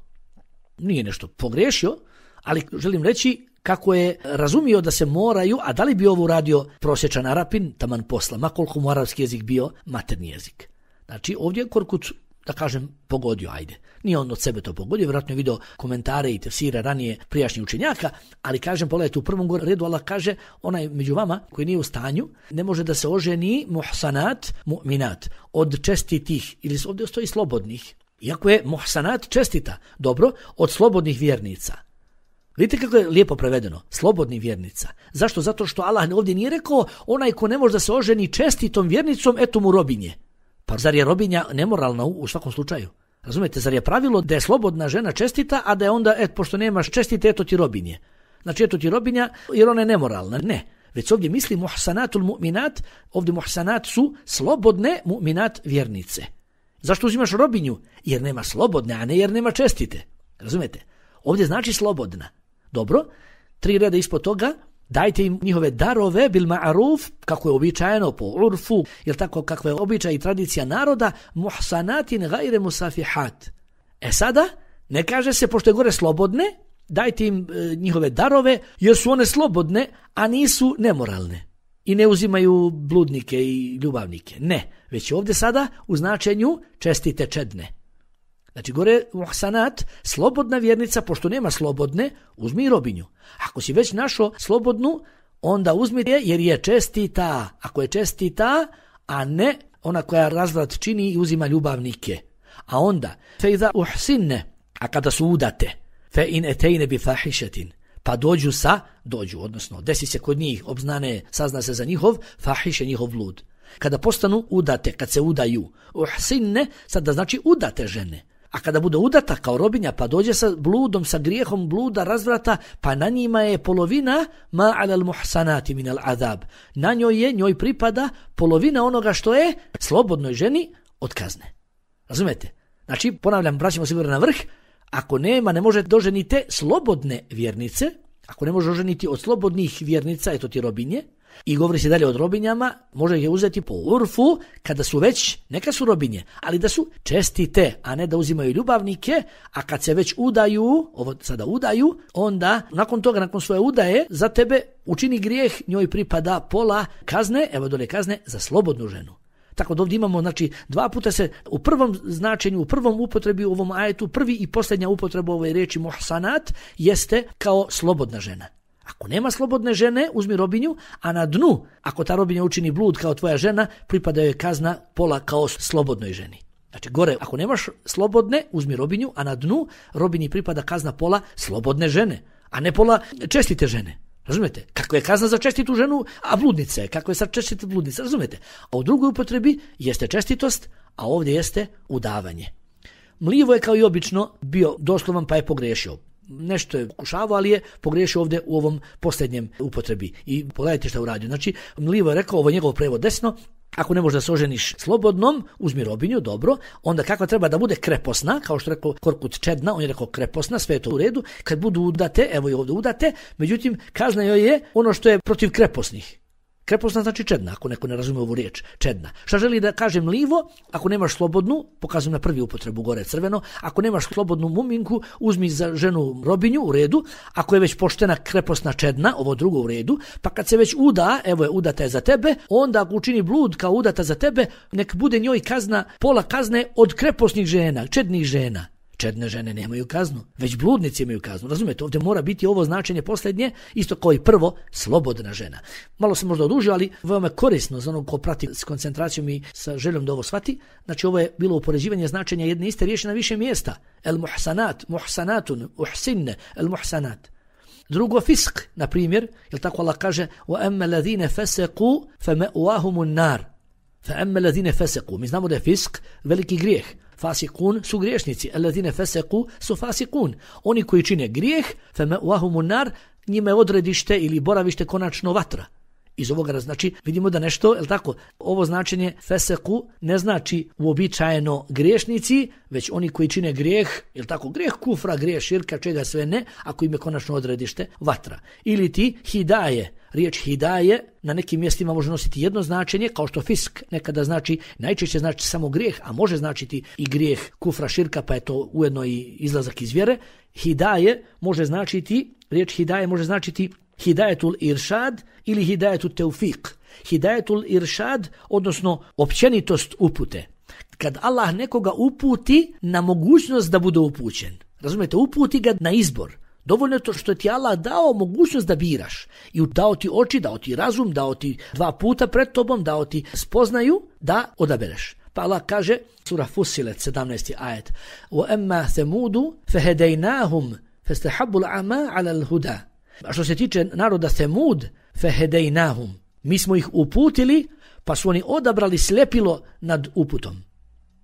S1: Nije nešto pogriješio, ali želim reći kako je razumio da se moraju, a da li bi ovo uradio prosječan Arapin, taman posla, ma koliko mu arapski jezik bio materni jezik. Znači ovdje Korkut, da kažem, pogodio, ajde. Nije on od sebe to pogodio, vjerojatno je vidio komentare i tefsire ranije prijašnjih učenjaka, ali kažem, pogledajte, u prvom redu Allah kaže, onaj među vama koji nije u stanju, ne može da se oženi muhsanat, mu'minat, od čestitih, ili ovdje stoji slobodnih. Iako je muhsanat čestita, dobro, od slobodnih vjernica. Vidite kako je lijepo prevedeno, slobodnih vjernica. Zašto? Zato što Allah ovdje nije rekao, onaj ko ne može da se oženi čestitom vjernicom, eto mu robinje. Pa zar je robinja nemoralna u, u svakom slučaju? Razumijete, zar je pravilo da je slobodna žena čestita, a da je onda, et, pošto nemaš čestite, eto ti robinje. Znači, eto ti robinja, jer ona je nemoralna. Ne. Već ovdje misli muhsanatul mu'minat, ovdje muhsanat su slobodne mu'minat vjernice. Zašto uzimaš robinju? Jer nema slobodne, a ne jer nema čestite. Razumijete? Ovdje znači slobodna. Dobro, tri reda ispod toga, dajte im njihove darove bil ma'ruf, kako je običajeno po urfu, jer tako kakva je običaj i tradicija naroda, muhsanatin gajre musafihat. E sada, ne kaže se, pošto je gore slobodne, dajte im e, njihove darove, jer su one slobodne, a nisu nemoralne. I ne uzimaju bludnike i ljubavnike. Ne, već je ovdje sada u značenju čestite čedne. Znači gore muhsanat, slobodna vjernica, pošto nema slobodne, uzmi robinju. Ako si već našao slobodnu, onda uzmi je jer je čestita. Ako je čestita, a ne ona koja razvrat čini i uzima ljubavnike. A onda, fe iza uhsinne, a kada su udate, fe in etejne bi fahišetin, pa dođu sa, dođu, odnosno desi se kod njih, obznane, sazna se za njihov, fahiše njihov blud. Kada postanu udate, kad se udaju, uhsinne, sada znači udate žene. A kada bude udata kao robinja, pa dođe sa bludom, sa grijehom bluda, razvrata, pa na njima je polovina ma alal muhsanati min al azab. Na njoj je, njoj pripada polovina onoga što je slobodnoj ženi od kazne. Razumete? Znači, ponavljam, vraćamo se na vrh, ako nema, ne može doženiti slobodne vjernice, ako ne može oženiti od slobodnih vjernica, eto ti robinje, i govori se dalje od robinjama, može ih je uzeti po urfu kada su već, neka su robinje, ali da su čestite, a ne da uzimaju ljubavnike, a kad se već udaju, ovo sada udaju, onda nakon toga, nakon svoje udaje, za tebe učini grijeh, njoj pripada pola kazne, evo dole kazne, za slobodnu ženu. Tako da ovdje imamo, znači, dva puta se u prvom značenju, u prvom upotrebi u ovom ajetu, prvi i posljednja upotreba ove riječi muhsanat jeste kao slobodna žena. Ako nema slobodne žene, uzmi robinju, a na dnu, ako ta robinja učini blud kao tvoja žena, pripada joj kazna pola kao slobodnoj ženi. Znači, gore, ako nemaš slobodne, uzmi robinju, a na dnu robinji pripada kazna pola slobodne žene, a ne pola čestite žene. Razumete? Kako je kazna za čestitu ženu, a bludnice, kako je sad čestita bludnica, razumete? A u drugoj upotrebi jeste čestitost, a ovdje jeste udavanje. Mlivo je kao i obično bio doslovan pa je pogriješio. Nešto je kušavao, ali je pogriješio ovdje u ovom posljednjem upotrebi. I pogledajte šta uradio. Znači, Mlivo je rekao, ovo je njegov prevod desno, ako ne možeš da se oženiš slobodnom, uzmi robinju, dobro, onda kakva treba da bude kreposna, kao što je rekao Korkut Čedna, on je rekao kreposna, sve je to u redu, kad budu udate, evo i ovdje udate, međutim, kazna joj je ono što je protiv kreposnih. Kreposna znači čedna, ako neko ne razumije ovu riječ, čedna. Šta želi da kaže Mlivo? Ako nemaš slobodnu, pokazujem na prvi upotrebu gore crveno, ako nemaš slobodnu muminku, uzmi za ženu robinju, u redu, ako je već poštena kreposna čedna, ovo drugo u redu, pa kad se već uda, evo je udata je za tebe, onda ako učini blud kao udata za tebe, nek bude njoj kazna, pola kazne od kreposnih žena, čednih žena. Čedne žene nemaju kaznu, već bludnici imaju kaznu. Razumete, ovdje mora biti ovo značenje posljednje, isto kao i prvo, slobodna žena. Malo se možda odužio, ali veoma korisno za onog ko prati s koncentracijom i sa željom da ovo shvati. Znači, ovo je bilo upoređivanje značenja jedne iste riječi na više mjesta. El muhsanat, muhsanatun, uhsinne, el muhsanat. Drugo, fisk, na primjer, jel tako Allah kaže wa amma alladhina fasaqu fama'wahumun nar. Fa amma alladhina fasaqu. Mi znamo da je fisk veliki grijeh. Fasikun su griješnici, alladhina faseku su fasikun. Oni koji čine grijeh, fama'wahumun nar, njima je odredište ili boravište konačno vatra. Iz ovoga znači vidimo da nešto, je tako, ovo značenje feseku ne znači uobičajeno griješnici, već oni koji čine grijeh, je tako, grijeh kufra, grijeh širka, čega sve ne, ako im je konačno odredište vatra. Ili ti hidaje. Riječ hidaje na nekim mjestima može nositi jedno značenje, kao što fisk nekada znači, najčešće znači samo grijeh, a može značiti i grijeh kufra širka, pa je to ujedno i izlazak iz vjere. Hidaje može značiti, riječ hidaje može značiti hidajetul iršad ili hidajetul teufik. Hidajetul iršad, odnosno općenitost upute. Kad Allah nekoga uputi na mogućnost da bude upućen. Razumijete, uputi ga na izbor. Dovoljno je to što ti Allah dao mogućnost da biraš. I dao ti oči, dao ti razum, dao ti dva puta pred tobom, dao ti spoznaju da odabereš. Pa Allah kaže, sura Fussilet, sedamnaesti ajet, وَأَمَّا ثَمُودُ فَهَدَيْنَاهُمْ فَاسْتَحَبُّ الْعَمَا عَلَى الْهُدَى. A što se tiče naroda Semud, فَهَدَيْنَاهُمْ, mi smo ih uputili, pa su oni odabrali sljepilo nad uputom.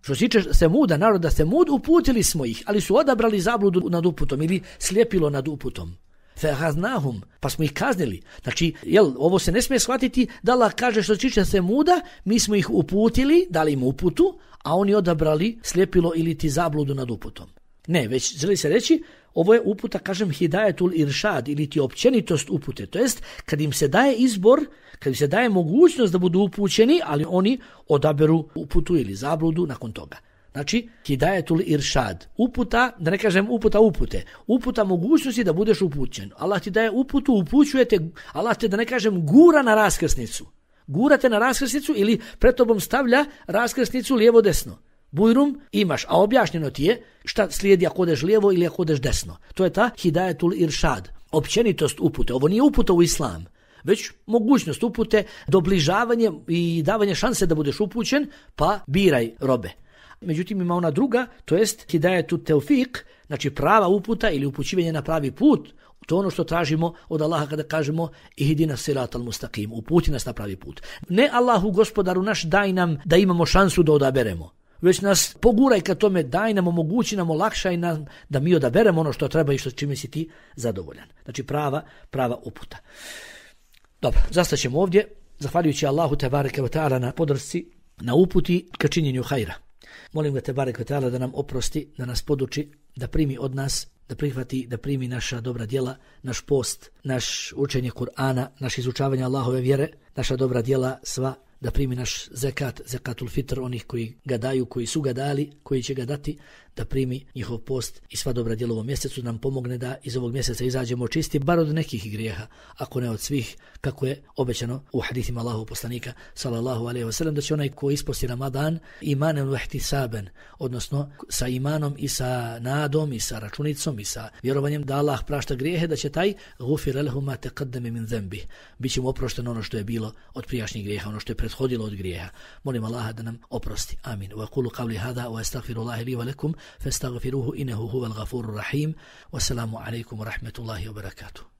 S1: Što se tiče Semuda, naroda Semud, uputili smo ih, ali su odabrali zabludu nad uputom ili sljepilo nad uputom. فَهَذْنَاهُمْ, pa smo ih kaznili. Znači, jel, ovo se ne smije shvatiti da Allah kaže što se tiče Semuda, mi smo ih uputili, dali im uputu, a oni odabrali sljepilo ili ti zabludu nad uputom. Ne, već želi se reći, ovo je uputa, kažem, hidajetul iršad ili ti općenitost upute. To jest, kad im se daje izbor, kad im se daje mogućnost da budu upućeni, ali oni odaberu uputu ili zabludu nakon toga. Znači, hidajetul iršad. Uputa, da ne kažem uputa upute. Uputa mogućnosti da budeš upućen. Allah ti daje uputu, upućujete, Allah te, da ne kažem, gura na raskrsnicu. Gurate na raskrsnicu ili pred tobom stavlja raskrsnicu lijevo-desno. Bujrum imaš, a objašnjeno ti je šta slijedi ako odeš lijevo ili ako odeš desno. To je ta hidajetul iršad, općenitost upute. Ovo nije uputa u islam, već mogućnost upute, dobližavanje i davanje šanse da budeš upućen, pa biraj robe. Međutim, ima ona druga, to jest hidajetul teufik, znači prava uputa ili upućivanje na pravi put. To je ono što tražimo od Allaha kada kažemo ihdina siratal mustaqim, uputi nas na pravi put. Ne Allahu gospodaru naš daj nam da imamo šansu da odaberemo. već nas poguraj ka tome, daj nam, omogući nam, olakšaj nam da mi odaberemo ono što treba i što čime si ti zadovoljan. Znači prava, prava uputa. Dobro, zastaćemo ovdje, zahvaljujući Allahu tebareke ve taala na podršci, na uputi ka činjenju hajra. Molim ga tebareke ve taala da nam oprosti, da nas poduči, da primi od nas, da prihvati, da primi naša dobra djela, naš post, naš učenje Kur'ana, naš izučavanje Allahove vjere, naša dobra djela sva, da primi naš zekat, zekatul fitr, onih koji ga daju, koji su ga dali, koji će ga dati, da primi njihov post i sva dobra djela u ovom mjesecu, nam pomogne da iz ovog mjeseca izađemo čisti, bar od nekih grijeha, ako ne od svih, kako je obećano u hadithima Allahu poslanika, sallallahu alejhi ve sellem, da će onaj ko isposti Ramadan imanem wa ihtisaben, odnosno sa imanom i sa nadom i sa računicom i sa vjerovanjem da Allah prašta grijehe, da će taj gufira lehu ma taqaddama min dhanbi, biće mu oprošteno ono što je bilo od prijašnjih grijeha, ono što je prethodilo od grijeha. Molim Allaha da nam oprosti. Amin. Wa aqulu qawli hadha wa astaghfirullaha li wa lakum fastaghfiruhu innahu huwal ghafurur rahim. Wassalamu alaykum wa rahmatullahi wa barakatuh.